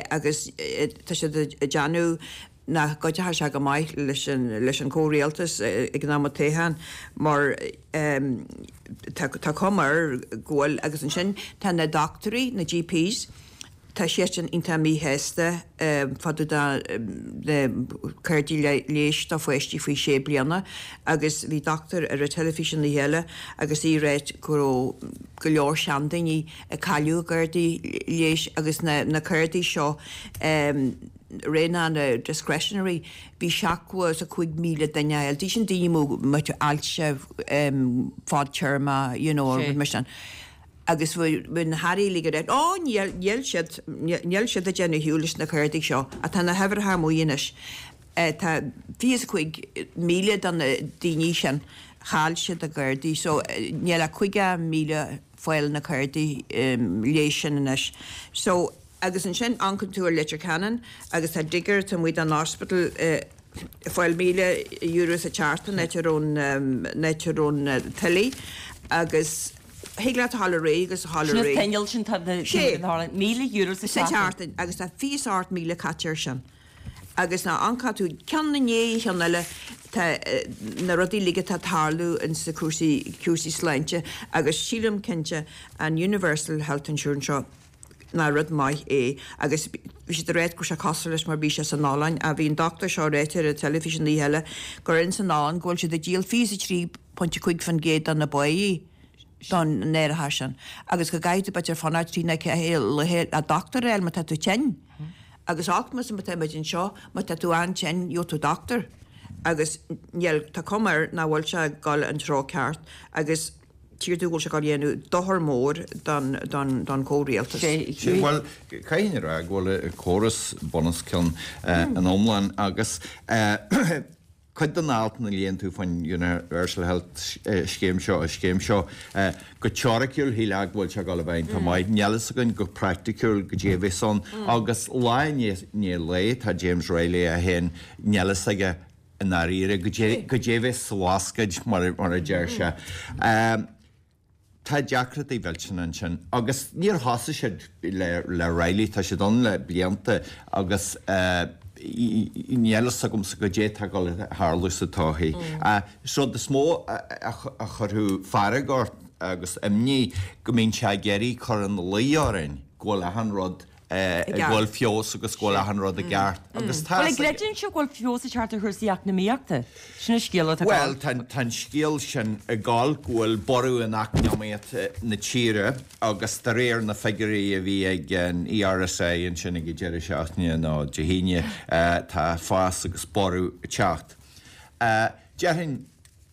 agus tá siad ag déanamh nach gcuideoidh sé go maith leis an leis an comhrialtas ag an am atá ann mar tá cuma air go bhfuil agus ansin tá na dochtúirí, na GPs, Tá siadsan iontach míshásta fá dtaobh de na cártaí leighis do pháistí faoi 6 bliana agus bhí dochtúir ar an teilifís an oíche eile agus í ag ráit go raibh go leor seandaoine ag cailleadh a gcártaí leighis agus na cártaí seo ré na discretionary bhí 75,000 duine á fháil. Sin daoine mó ailse fadtéarma you know rud mar sin. Agus bhí na hairí uilig ag rá, Ó, níl, níl siad, níl siad ag déanamh shiúl leis na cártaí seo. Ach tá na huimhreacha amuigh anois. Tá 25,000 de na daoine sin, chaill siad a gcártaí. So, níl ach 50,000. fáil na cárdaí leighis sin anois. So, agus ansin amharcann tú ar Leitir Ceanainn agus tá digger taobh amuigh den hospital ag fáil €1,000 sa tseachtain áit a raibh an, áit a raibh na tuillí agus thig leat a ghabháil ar aghaidh agus a ghabháil Sin ar an aghaidh. t-inneall sin tá na, Sé. €1,000 sa Sa tseachtain. tseachtain agus tá 28,000 caite air sin. Agus ná amharcann tú ceann i ndiaidh an cheann eile tá na rudaí uilig atá ag tarlú ins na cúrsaí, cúrsaí sláinte agus sílim cinnte an Universal Health Insurance seo nach rud maith é agus bhí siad ag ráit go raibh sé cosúil leis mar bhí sé san Ollainn ach bhí an dochtúir seo ag ráit ar an teilifís an oíche eile gur ins an Ollainn go bhfuil siad ag díol 23.5% de na báí don árachas sin agus go gcaithfidh tú b'fhéidir fanacht trí nó ceathair laethe le dochtúir a fháil má tá tú tinn. Agus olcmas má tá muid anseo, má tá tú an-tinn, gheobhaidh tú dochtúir. Agus níl, tá cuma air nach bhfuil sé ag dul an treo ceart agus tchíonn tú go bhfuil sé ag dul a dhéanamh dochar mór don, don, don chomhrialtas. Sea, bhuel, caithfidh a rá go bhfuil an córas bunoscionn in iomlán agus Cuid den alt a léann tú faoin Universal Health scéim seo, an scéim seo, go teoiriciúil shílfeá go bhfuil sé ag dul a bheith iontach maith. Níl fhios againn go praiticiúil goidé a bheas ann agus lá i ndiaidh lae tá James Reilly é féin, níl fhios aige i ndáiríre goidé a bheas sa bhascaed mar a deir sé. Tá deacrachtaí mhillteanna ansin agus níor thosaigh siad le Reilly, tá siad ann le blianta agus níl fhios agamsa goidé atá ag dul a tharlú sa todhchaí. An rud is mó a chuirfeadh fearg ort agus imní go mbíonn sé ag iarraidh cur ina luí orainn go bhfuil achan rud go bhfuil feabhas agus go bhfuil achan rud i gceart agus tá Bhuel, an gcreideann sé go bhfuil feabhas ag teacht ar chúrsaí eacnamaíochta? Sin an scéal atá ag Bhuel, tá an scéal sin ag gabháil go bhfuil borradh in eacnamaíocht na tíre agus de réir na figiúirí a bhí ag an ERSI ansin ag an deireadh seachtaine nó Dé hAoine, tá fás agus borradh ag teacht. Déarfainn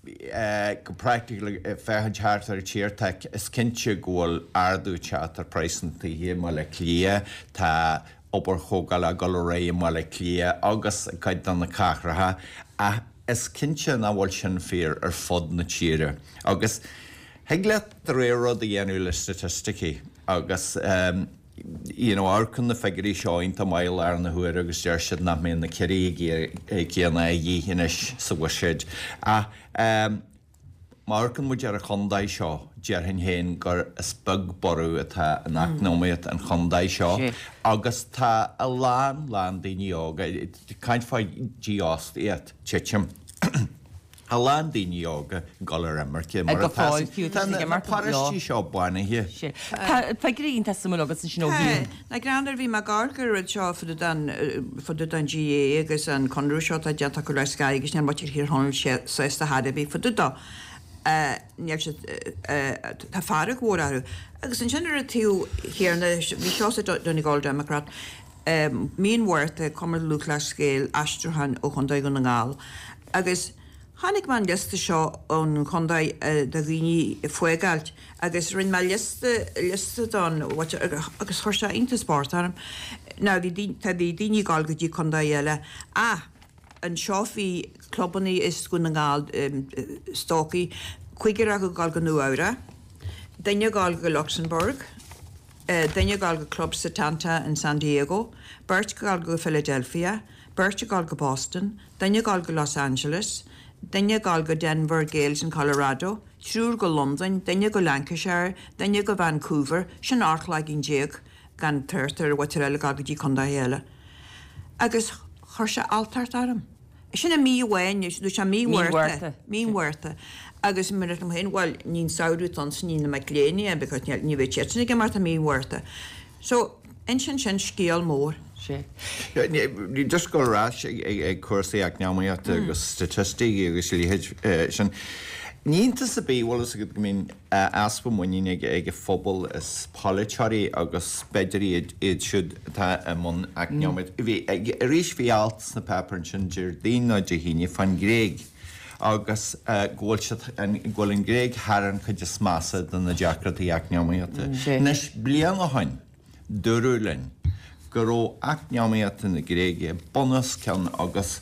Go praiticiúil, ag féachaint thart ar an tír, tá, is cinnte go bhfuil ardú ag teacht ar praghas na tithe i mBaile Átha Cliath, tá obair thógála ag dul ar aghaidh i mBaile Átha Cliath agus i gcuid de na cathracha, ach is cinnte nach bhfuil sin fíor ar fud na tíre. Agus thig leat de réir rud a dhéanamh le staitisticí agus. you know, amharcann na figiúirí seo iontach maith i láthair na huaire agus deir siad nach mbeidh na ciorruithe céanna a dhíth anois sa bhuiséad. Ach ehm, má amharcann muid ar an chontae seo, déarfainn féin gur is beag borradh atá in eacnamaíocht an chontae seo agus tá a lán, lán daoine óga, caint fá dhífhostaíocht, titim. A lán daoine óga ag dul ar imirce mar Go atá fóill fiú, tá tá siad ag na imeacht leo. paróistí seo bánaithe. Sea. Tá figiúirí iontach suimiúil agat ansin ó Tá. thaobh. Na greann ar bhí mé ag amharc ar an rud seo fá dtaobh den, fá dtaobh den GAA agus an conradh seo atá déanta acu le Sky agus níl muintir Thír Chonaill sásta chor ar bith fá dtaobh dó. Níl siad, tá fearg mhór orthu. Agus ansin ar an taobh chéanna, bhí seo sa Donegal Democrat, Mí an Mhárta, Cumann Lúthchleas Gael, aistriúchán ó Chontae Dhún na nGall. Agus chonaic mé an liosta seo ón chontae de dhaoine ag fágáilt agus rinne mé liosta, liosta don agus chuir sé iontas bocht orm. Now bhí daoine, tá bhí daoine ag dul go dtí contae eile ach anseo bhí clubannaí as Dún na nGall, Stócaigh, cúigear acu ag dul go Nua Eabhrac, duine ag dul go Luxembourg, duine ag dul go Club Setanta in San Diego, beirt ag dul go Philadelphia, beirt ag dul go Boston, duine ag dul go Los Angeles, duine ag dul go Denver Gaels in Colorado, triúr go Londain, duine go Lancashire, duine go Vancouver, sin 18 cloigeann gan trácht ar mhuintir eile ag dul go dtí contaetha eile. Agus chuir sé alltacht orm. Sin i mí amháin, nó sé mí Mhárta, mí Mhárta. Agus mar a dúirt liom féin, bhuel, ní an samhradh atá ann, ní na mic léinn é, because ní bheidh siadsan ag imeacht i mí Mhárta. So, insíonn sin scéal mór. Sea. Just go ar ais ag cúrsaí eacnamaíochta agus staitisticí agus a leithéid sin. Ní iontas ar bith, bhfuil fhios agat, go mbíonn easpa muiníne ag an phobal as polaiteoirí agus b'fhéidir iad iad siúd atá i mbun eacnamaíocht. Bhí, arís bhí alt sna páipéir ansin Déardaoin nó Dé hAoine fán Ghréig agus go bhfuil siad, go bhfuil an Ghréig thar an chuid is measa de na deacrachtaí eacnamaíochta. Anois, bliain ó shin, dúradh linn. go raibh eacnamaíocht na Gréige bunoscionn agus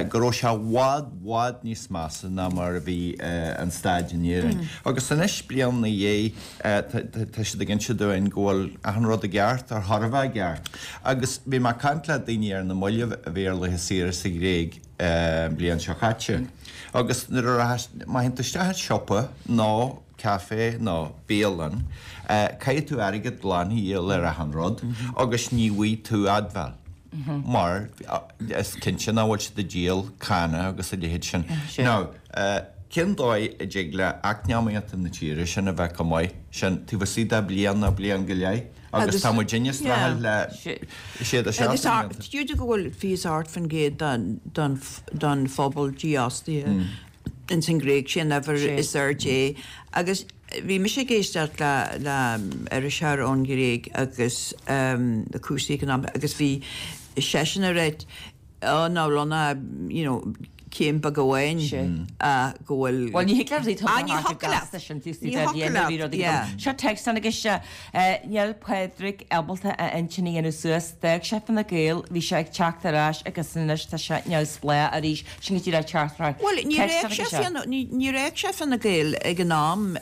go raibh sé i bhfad, bhfad níos measa ná mar a bhí an staid in Éirinn. Agus anois, bliain ina dhiaidh, tá siad ag inse dúinn go bhfuil achan rud i gceart, ar chóir a bheith i gceart. Agus bhí mé ag caint le daoine ar na mallaibh a bhí ar laetha saoire sa Ghréig an bhliain seo caite. Agus nuair a rachas, má théann tú isteach i siopa nó caife nó bialann, caithfidh tú airgead glan a dhíol ar achan rud agus ní bhfaighidh tú admháil mar is cinnte nach bhfuil siad ag díol canna agus a leithéid sin. Now, cén dóigh a dtig le eacnamaíocht na tíre sin a bheith chomh maith sin taobh istigh de bliain nó bliain go leith agus tá muidinne ag streachailt le sé de seacht mblianta. Agus go bhfuil 28% den phobal dífhostaithe. ins an Ghréig, sé an uimhir is airde é. Agus bhí mise ag éisteacht le le iriseoir ón Ghréig agus cúrsaí economic agus bhí seisean ag ráit oh ná bhfuil ann ach you know céim beag amháin go bhfuil Bhuel ní thig leat rudaí Ah ní thiocfadh leat ní thiocfadh leat yeah. Seo text tháinig isteach Níl Pádraig ábalta a intinn a dhéanamh suas. D'fhág sé Fine Gael, bhí sé ag teacht ar ais agus anois tá sé neamhspleách arís. Sin go díreach teachtaireacht. Bhuel, níor fhág sé Fianna, níor fhág sé Fine Gael ag an am,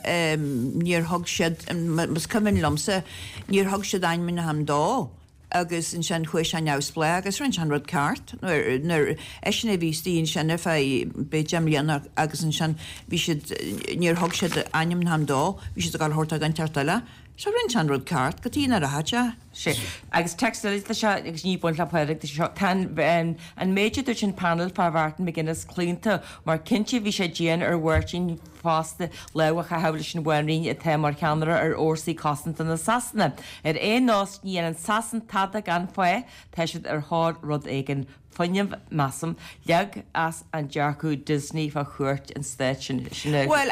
níor thug siad, más cuimhin liomsa, níor thug siad ainmniúchán dó agus ansin chuaigh sé neamhspleách agus rinne sé an rud ceart nuair, nuair, eisean a bhí istigh ansin ar feadh b'fhéidir deich mbliana agus ansin bhí siad, níor thug siad ainmniúchán dó, bhí siad ag dul a thabhairt do dhuine inteacht eile. So rinne sé an rud ceart, cad chuige nach rachadh sé. Sea. Agus text eile tá seo, agus ní baint le Pádraig, tá seo, tá an, an méid a dúirt an panel fá Mhartin McGuinness claonta, mar cinnte bhí sé dian ar Mháirtín fosta lámh a chaitheamh leis an bhanríon atá mar cheannaire ar fhórsaí cosanta na Sasana. Ar aon nós, ní dhéanann Sasain tada gan fáth, tá siad ar thóir rud éigin. Fuinneamh, measaim. Leag as an dearcadh Disney fá chuairt an stáit sin. Sin é. Bhuel,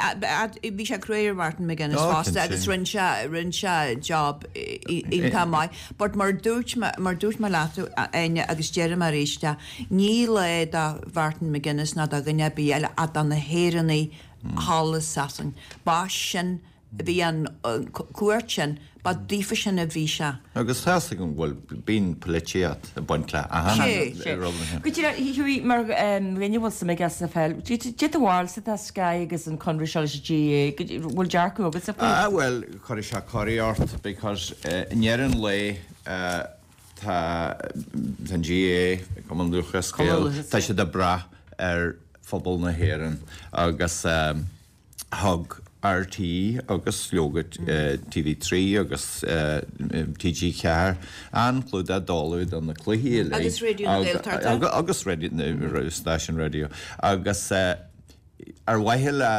bhí sé cruaidh ar Martin McGuinness Ó, fosta cinnte. agus rinne sé, rinne sé job iontach maith. But mar dúirt mé, mar dúirt mé leat, Áine, agus deirim arís é, ní lá do Mhartin McGuinness ná do dhuine ar bith eile ach do na hÉireannaigh thall i Sasain. Ba sin Bhí an cuairt sin, ba daofa sin a bhí sé. Agus tá fhios agam go bhfuil, bíonn polaitíocht ag baint le achan rud ansin. Go díreach, Hughie, mar dhuine a bhfuil suim aige sa pheil, cad é do bharúilsa tá Sky agus an conradh seo leis an GAA, bhfuil dearcadh agatsa faoi? Ah bhuel, cuirfidh sé corraí ort because i ndeireadh an lae tá an GAA, Cumann Lúthchleas Gael, tá siad ag brath ar phobal na hÉireann agus Thug RTÉ agus leoga TV3 agus TG4 an-chlúdach dáileadh do na cluichí uilig. Agus Raidió na Gaeltachta. Agus stáisiún raidió. Agus ar mhaithe le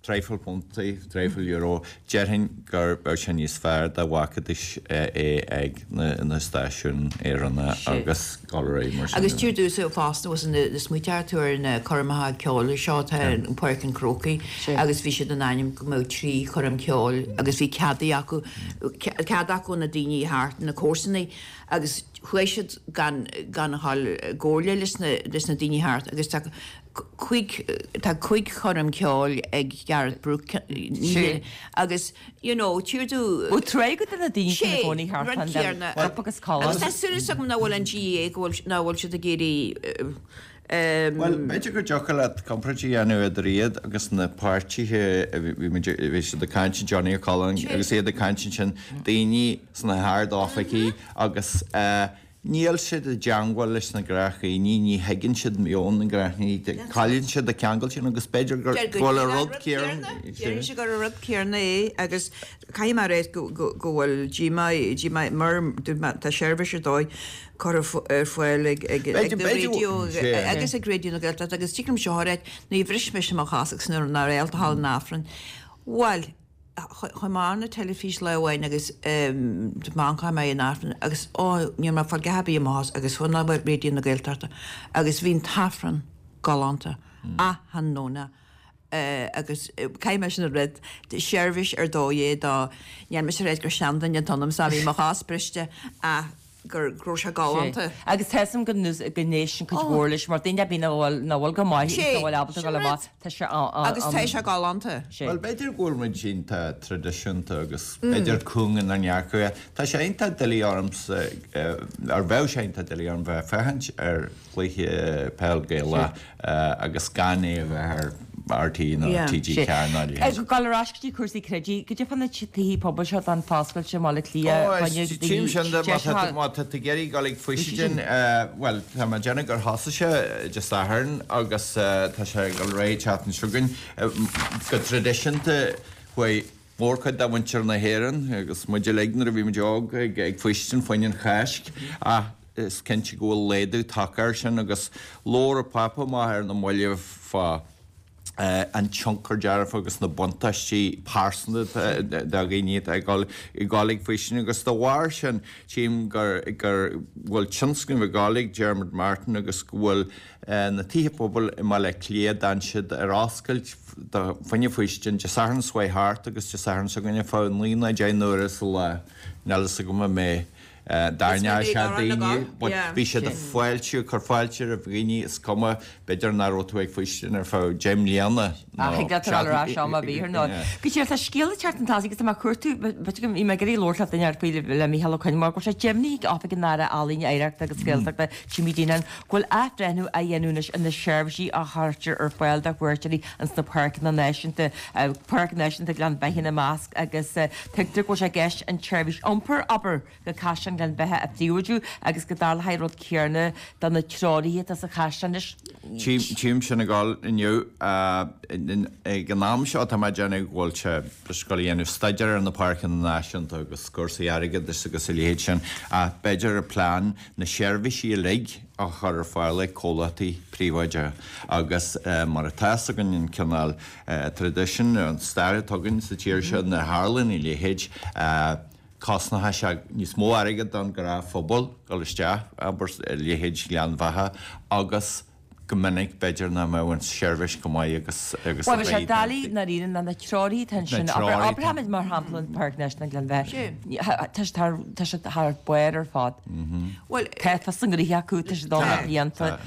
traidhfil puntaí, traidhfil euro, déarfainn gur bheadh sé níos fearr dá bhfágfaidís é ag na stáisiúin Éireannacha agus dul ar aghaidh mar sin. Agus dúirt tusa fosta was na smaoitear tú ar na coirmeacha ceoil seo atá in Páirc an Chrócaigh agus bhí siad in ainm go mbeadh 3 choirm cheoil agus bhí cead acu cead acu na daoine thart na comharsanaí agus chuaigh siad gan gan a dhul i gcomhairle leis na leis na daoine thart agus tá cúig tá cúig choirm ceoil ag Gareth Brooks agus you know, tír tú. Bhuel, tréigeadh do na daoine sin i gcónaí thart fán céanna. Corp agus colainn. Agus tá súil agam nach bhfuil an GAA, go bhfuil, nach bhfuil siad ag iarraidh. Bhuel, b'fhéidir go dtiocfadh leat comparáid a dhéanamh idir iad agus na páirtithe a bhí muid, bhí siad ag caint, Johnny O'Callaghan agus iad ag caint ansin, daoine sna hard-oifigí agus eh, Níl siad i dteangmháil leis na gnáthdhaoine, ní thuigeann siad meon na ngnáthdhaoine, cailleann siad an ceangal sin agus b'fhéidir go bhfuil an rud céanna. Deireann sé gur an rud céanna é agus caithfidh mé a rá go bhfuil díomá, díomá, mar tá seirbhís ar dóigh curtha ar fáil ag raidió agus ag Raidió na Gaeltachta agus tig liom seo a rá, ní bhris mise mo chos agus nuair nár fhéadfadh dul in Aifreann. Bhuel, Chuaigh mé ar an teilifís lá amháin agus chuaigh mé in Aifreann agus ó ní raibh mé ag fáil a dhath ar bith i mo chos agus chuaigh mé Raidió na Gaeltachta agus bhí an tAifreann galánta achan Domhnach agus caithfidh mé sin a rá seirbhís ar dóigh é do níl mise ag rá gur seanduine atá ionam 's bhí mo chos briste ach. gur go raibh sé galánta. Sea. Agus tá 'fhios a'm go n-éisteann cuid mhór leis mar daoine a bhíonn nach bhfuil nach bhfuil go maith agus Sea, nach bhfuil ábalta sin dul amach, rud. tá sé an, Agus tá sé galánta. Sea. Bhuel, b'fhéidir go bhfuil muid iontach traidisiúnta agus b'fhéidir cúng inár ndearcadh. Tá sé iontach doiligh ormsa, ar bheadh sé iontach doiligh orm bheith ag féachaint ar chluiche peil Gaelach agus gan é a bheith ar RTÉ nó TG4 nó a leithéid. Ag dul ar ais go dtí cúrsaí creidimh, goidé fá na tithe pobail seo don foscailte i mBaile Átha Cliath, Ó, fá is tchím sin de, má tá tú, má tá tú ag iarraidh dul ag Faoistin, bhuel, tá mé ag déanamh gur thosaigh sé Dé Sathairn agus tá sé ag dul ar aghaidh an tseachtain seo chugainn. Go traidisiúnta, chuaigh mórchuid de mhuintir na hÉireann, agus muid uilig nuair a bhí muid óg, ag Faoistin fá choinne an Cháisc, ach is cinnte go bhfuil laghdú tagtha air sin agus labhair an Pápa amach ar na mallaibh fá an tionchar dearfach agus na buntáistí pearsanta do dhaoine atá ag dul ag dul ag Faoistin agus dá bharr sin tchím gur gur bhfuil tionscnamh ag dul ag Dermot Martin agus go bhfuil na tithe pobail i mBaile Átha Cliath d'fhan siad ar oscailt do fá choinne Faoistin Dé Sathairn seo chuaigh thart agus Dé Sathairn seo chugainn ar feadh 9 nó 10 n-uaire sa lá. Níl fhios agam an mbeidh D'aithneodh sé daoine, but bhí siad ag fáiltiú, ag cur fáilte roimh dhaoine, is cuma, b'fhéidir nach raibh tú ag faoistin ar feadh 10 mbliana nó Ach thig leat a dhul ar ais am ar bith ar ndóigh. Go díreach, tá scéal ag teacht chun tosaigh agus tá mé ag cuartú, b'fhéidir go, bhí mé ag iarraidh labhairt le duine faoi le Mícheál Ó Coinn mar go bhfuil sé deimhnithe ag Oifig an Aire Ealaíon, Oidhreachta agus Gaeltachta, Jimmy Deenihan, go bhfuil athbhreithniú á dhéanamh anois ar na seirbhísí a chuirtear ar fáil do chuairteoirí ins na páirceanna náisiúnta, Páirc Náisiúnta Ghleann Bheatha ina measc agus tuigtear go bhfuil sé i gceist an tseirbhís iompair, abair, go Caisleán Ghleann Bheatha a phríobháidiú agus go dtarlóidh an rud céanna do na treoraithe atá sa chaisleán anois. Tchím sin ag dul inniu. Ag an am seo tá mé ag déanamh go bhfuil sé ag dul a dhéanamh staidéar ar na páirceanna náisiúnta agus cúrsaí airgeadais agus a leithéid sin ach b'fhéidir an plean na seirbhísí uilig a chur ar fáil ag comhlachtaí príobháideacha agus mar atá fhios againn an cineál traidisiún, an stair atá againn sa tír seo nuair a tharlaíonn a leithéid, cosnóidh sé níos mó airgead don ghnáthphobal dul isteach, abair, i leithéid Ghleann Bheatha agus go minic b'fhéidir nach mbeadh an tseirbhís chomh maith agus agus a Bhuel, bhí sé doiligh i ndáiríre ná na treoraithe atá ansin, abair, abraimid mar shampla an Pháirc Náisiúnta Ghleann Bheatha, tá siad thar, tá siad thar barr ar fad. Bhuel, Tá fios a ngnóithe acu, tá siad ann le blianta.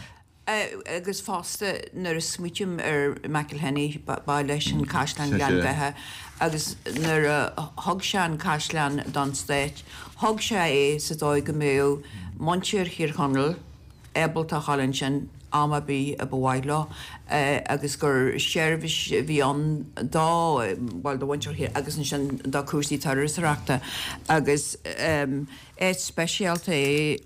Agus fosta nuair a smaoitím ar McElhinney, ba leis an Caisleán Ghleann Bheatha agus nuair a thug sé an caisleán don stát, thug sé é sa dóigh go mbeadh muintir Thír Chonaill ábalta a dhul ansin am ar bith a ba mhaith leo agus gur seirbhís a bhí ann do, bhuel, do mhuintir Thír agus ansin do chúrsaí turasóireachta agus áit speisialta é.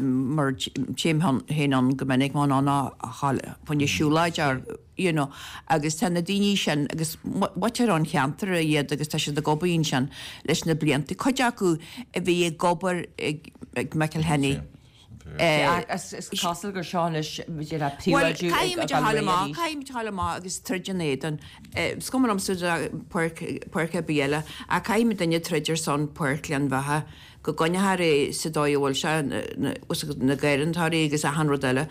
mar téim féin ann go minic má ann a fá choinne siúlóid or you know agus tá na daoine sin agus muintir an cheantair iad agus tá siad ag obair ansin leis na blianta, cuid acu a bhí ag obair ag ag McElhinney. Is cosúil gur seo anois b'fhéidir a Bhuel, príobháidiú ag caithfidh muid a dul ghabháil ar aghaidh amach, arís. caithfidh muid a ghabháil amach agus troid ina éadan. Is cuma liomsa páirc, páirc ar bith eile, ach caithfidh muidinne troid ar son Páirc Ghleann Bheatha. go gcoinneofar é sa dóigh a bhfuil sé, na garraíodóirí agus achan rud eile.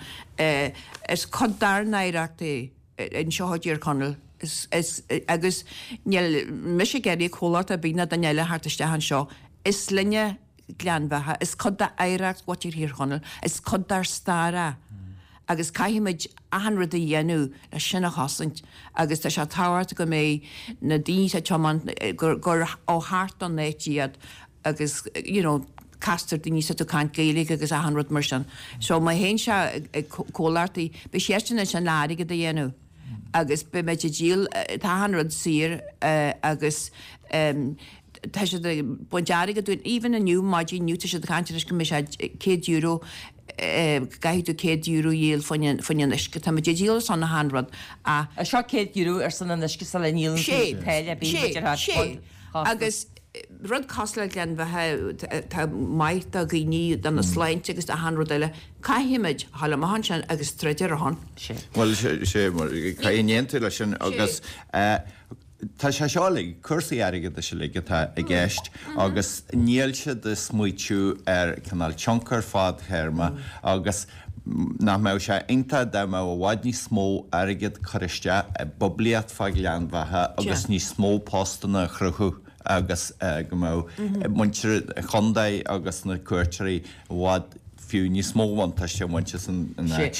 Is cuid dár n-oidhreacht é anseo i dTír Chonaill agus níl mise ag iarraidh comhlacht ar bith ná duine eile a theacht isteach anseo. Is linne Gleann Bheatha, is cuid d'oidhreacht mhuintir Thír Chonaill, is cuid dár stair é agus caithfimid achan rud a dhéanamh le sin a chosaint agus tá sé tábhachtach go mbeidh na daoine atá ag tiomáint, gur ó thart don áit iad agus you know castar daoine is tú ag caint Gaeilge agus achan rud mar sin. So má théann sé ag comhlachtaí, beidh siadsan ansin le airgead a dhéanamh agus beidh muid ag díol, tá achan rud saor agus tá siad ag baint airgead dúinn, even inniu, maidin inniu, tá siad ag caint anois go mbeidh sé €100, go gcaithfidh tú €100 a dhíol fá choinne an uisce. Tá muid ag díol ar son achan rud ach. Seo €100 ar son an uisce sula ndíolann tú táille ar bith, Sé, sé, agus rud cosúil le Gleann Bheatha atá maith do dhaoine, dona sláinte agus d'achan rud eile, caithfimid a ghabháil amach ansin agus troid ar a shon. Sé. Bhuel, sé, caithfidh aontú leis sin agus tá sé seo uilig, cúrsaí airgeadais uilig atá i gceist agus níl siad ag smaoitiú ar cineál tionchar fadtéarma agus nach mbeadh sé iontach dá mbeadh i bhfad níos mó airgead curtha isteach i bpoiblíocht fá Ghleann Bheatha agus níos mó postanna a chruthú. agus go mbeadh muintir an chontae agus na cuairteoirí i bhfad fiú níos mó bhuntáiste a bhaint as an áit.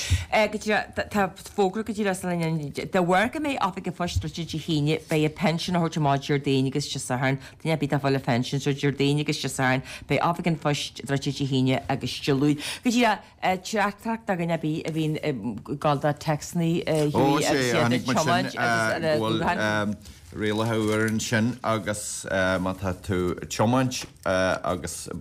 Go díreach, tá fógra go díreach san de bharr go mbeidh Oifig an Phoist druidte Dé hAoine, beidh an pinsean á thabhairt amach Déardaoin agus Dé Sathairn. Duine ar bith atá ag fáil a phinsean, so Déardaoin agus Dé Sathairn, beidh Oifig an Phoist druidte Dé hAoine agus Dé Luain. Go díreach, Teachtaireacht do dhuine ar bith a bhíonn ag gabháil do téacsanna a Hughie agus iad ag tiomáint agus ar a ghuthán. Rialacha úr ansin agus má tá tú ag tiomáint agus ag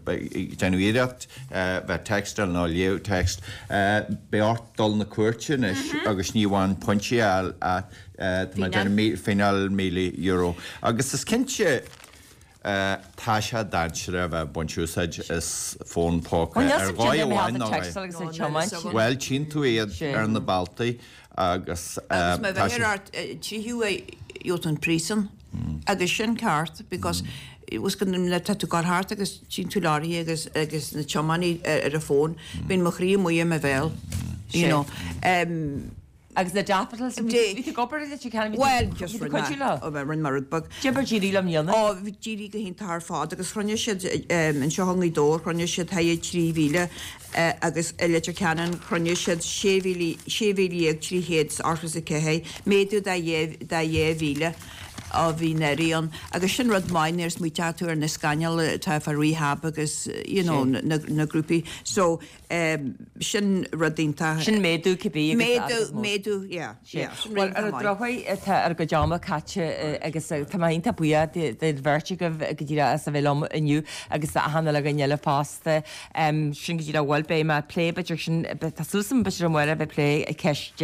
déanamh iarracht bheith textáil nó léamh text, beidh ort dul na cúirte anois agus ní amháin pointí a fháil ach tá mé ag déanamh fíneáil €1,000 agus is cinnte Tá sé dainséarach a bheith ag baint úsáid as fón póca ar dhóigh amháin nó eile. Bhuel, tchíonn tú iad ar na bealtaí agus tá sé. Agus má bheir ort tríú é gheobhaidh tú an príosún agus sin ceart because was go tá tú ag gabháil thart agus tchíonn tú leoraithe agus agus na tiománaí ar an fón, bíonn mo chroí amuigh i mo bhéal, you know. Agus na daffodils, bhí tú ag obair i Leitir Ceanainn, bhí tú ag cuidiú leo? Bhuel, rinne mé rud beag. Cad é mar a d'éirigh leo i mbliana? Ó, d'éirigh go hiontach ar fad agus chruinnigh siad anseo i nGaoth Dobhair, chruinnigh siad thart 3,000 agus i Leitir Ceanainn chruinnigh siad 16,384, méadú de 2,000 ó bhí anuraidh ann. Agus sin rud maith nuair a smaoiteoidh tú ar na scannail atá fá rehab agus you know na grúpaí. So, Sin rud iontach. Sin méadú cibé agus Méadú, méadú, yeah, yeah. Sin rud iontach maith. Bhuel, ar an drochuair, tá ár gcuid ama caite agus tá mé iontach buíoch den bheirt agaibh go díreach as a bheith liom inniu agus achan uile dhuine eile fosta. Sin go díreach, bhuel, beidh mé ag plé b'fhéidir sin, tá súil agam b'fhéidir amárach a bheith ag plé ceist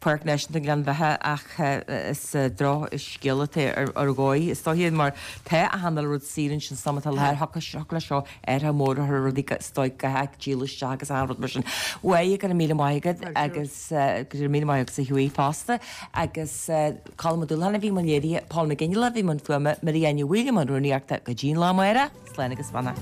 Pháirc Náisiúnta Ghleann Bheatha ach is drochscéal atá ar dhóigh is dóiche mar tá achan uile rud saor ansin san am atá i láthair, thiocfadh leis seo athruithe móra a chur ar rudaí is dóigh go háit díol isteach agus achan rud mar sin. Bhuel, go raibh míle maith agat agus go raibh míle maith agatsa a Hughie fosta agus Colm Ó Dúlacháin a bhí i mbun léirithe, Paul McGinley a bhí i mbun fuaime, Mary Áine Mhaoil i mbun rúnaíochta go dtí an lá amárach, slán agus beannacht.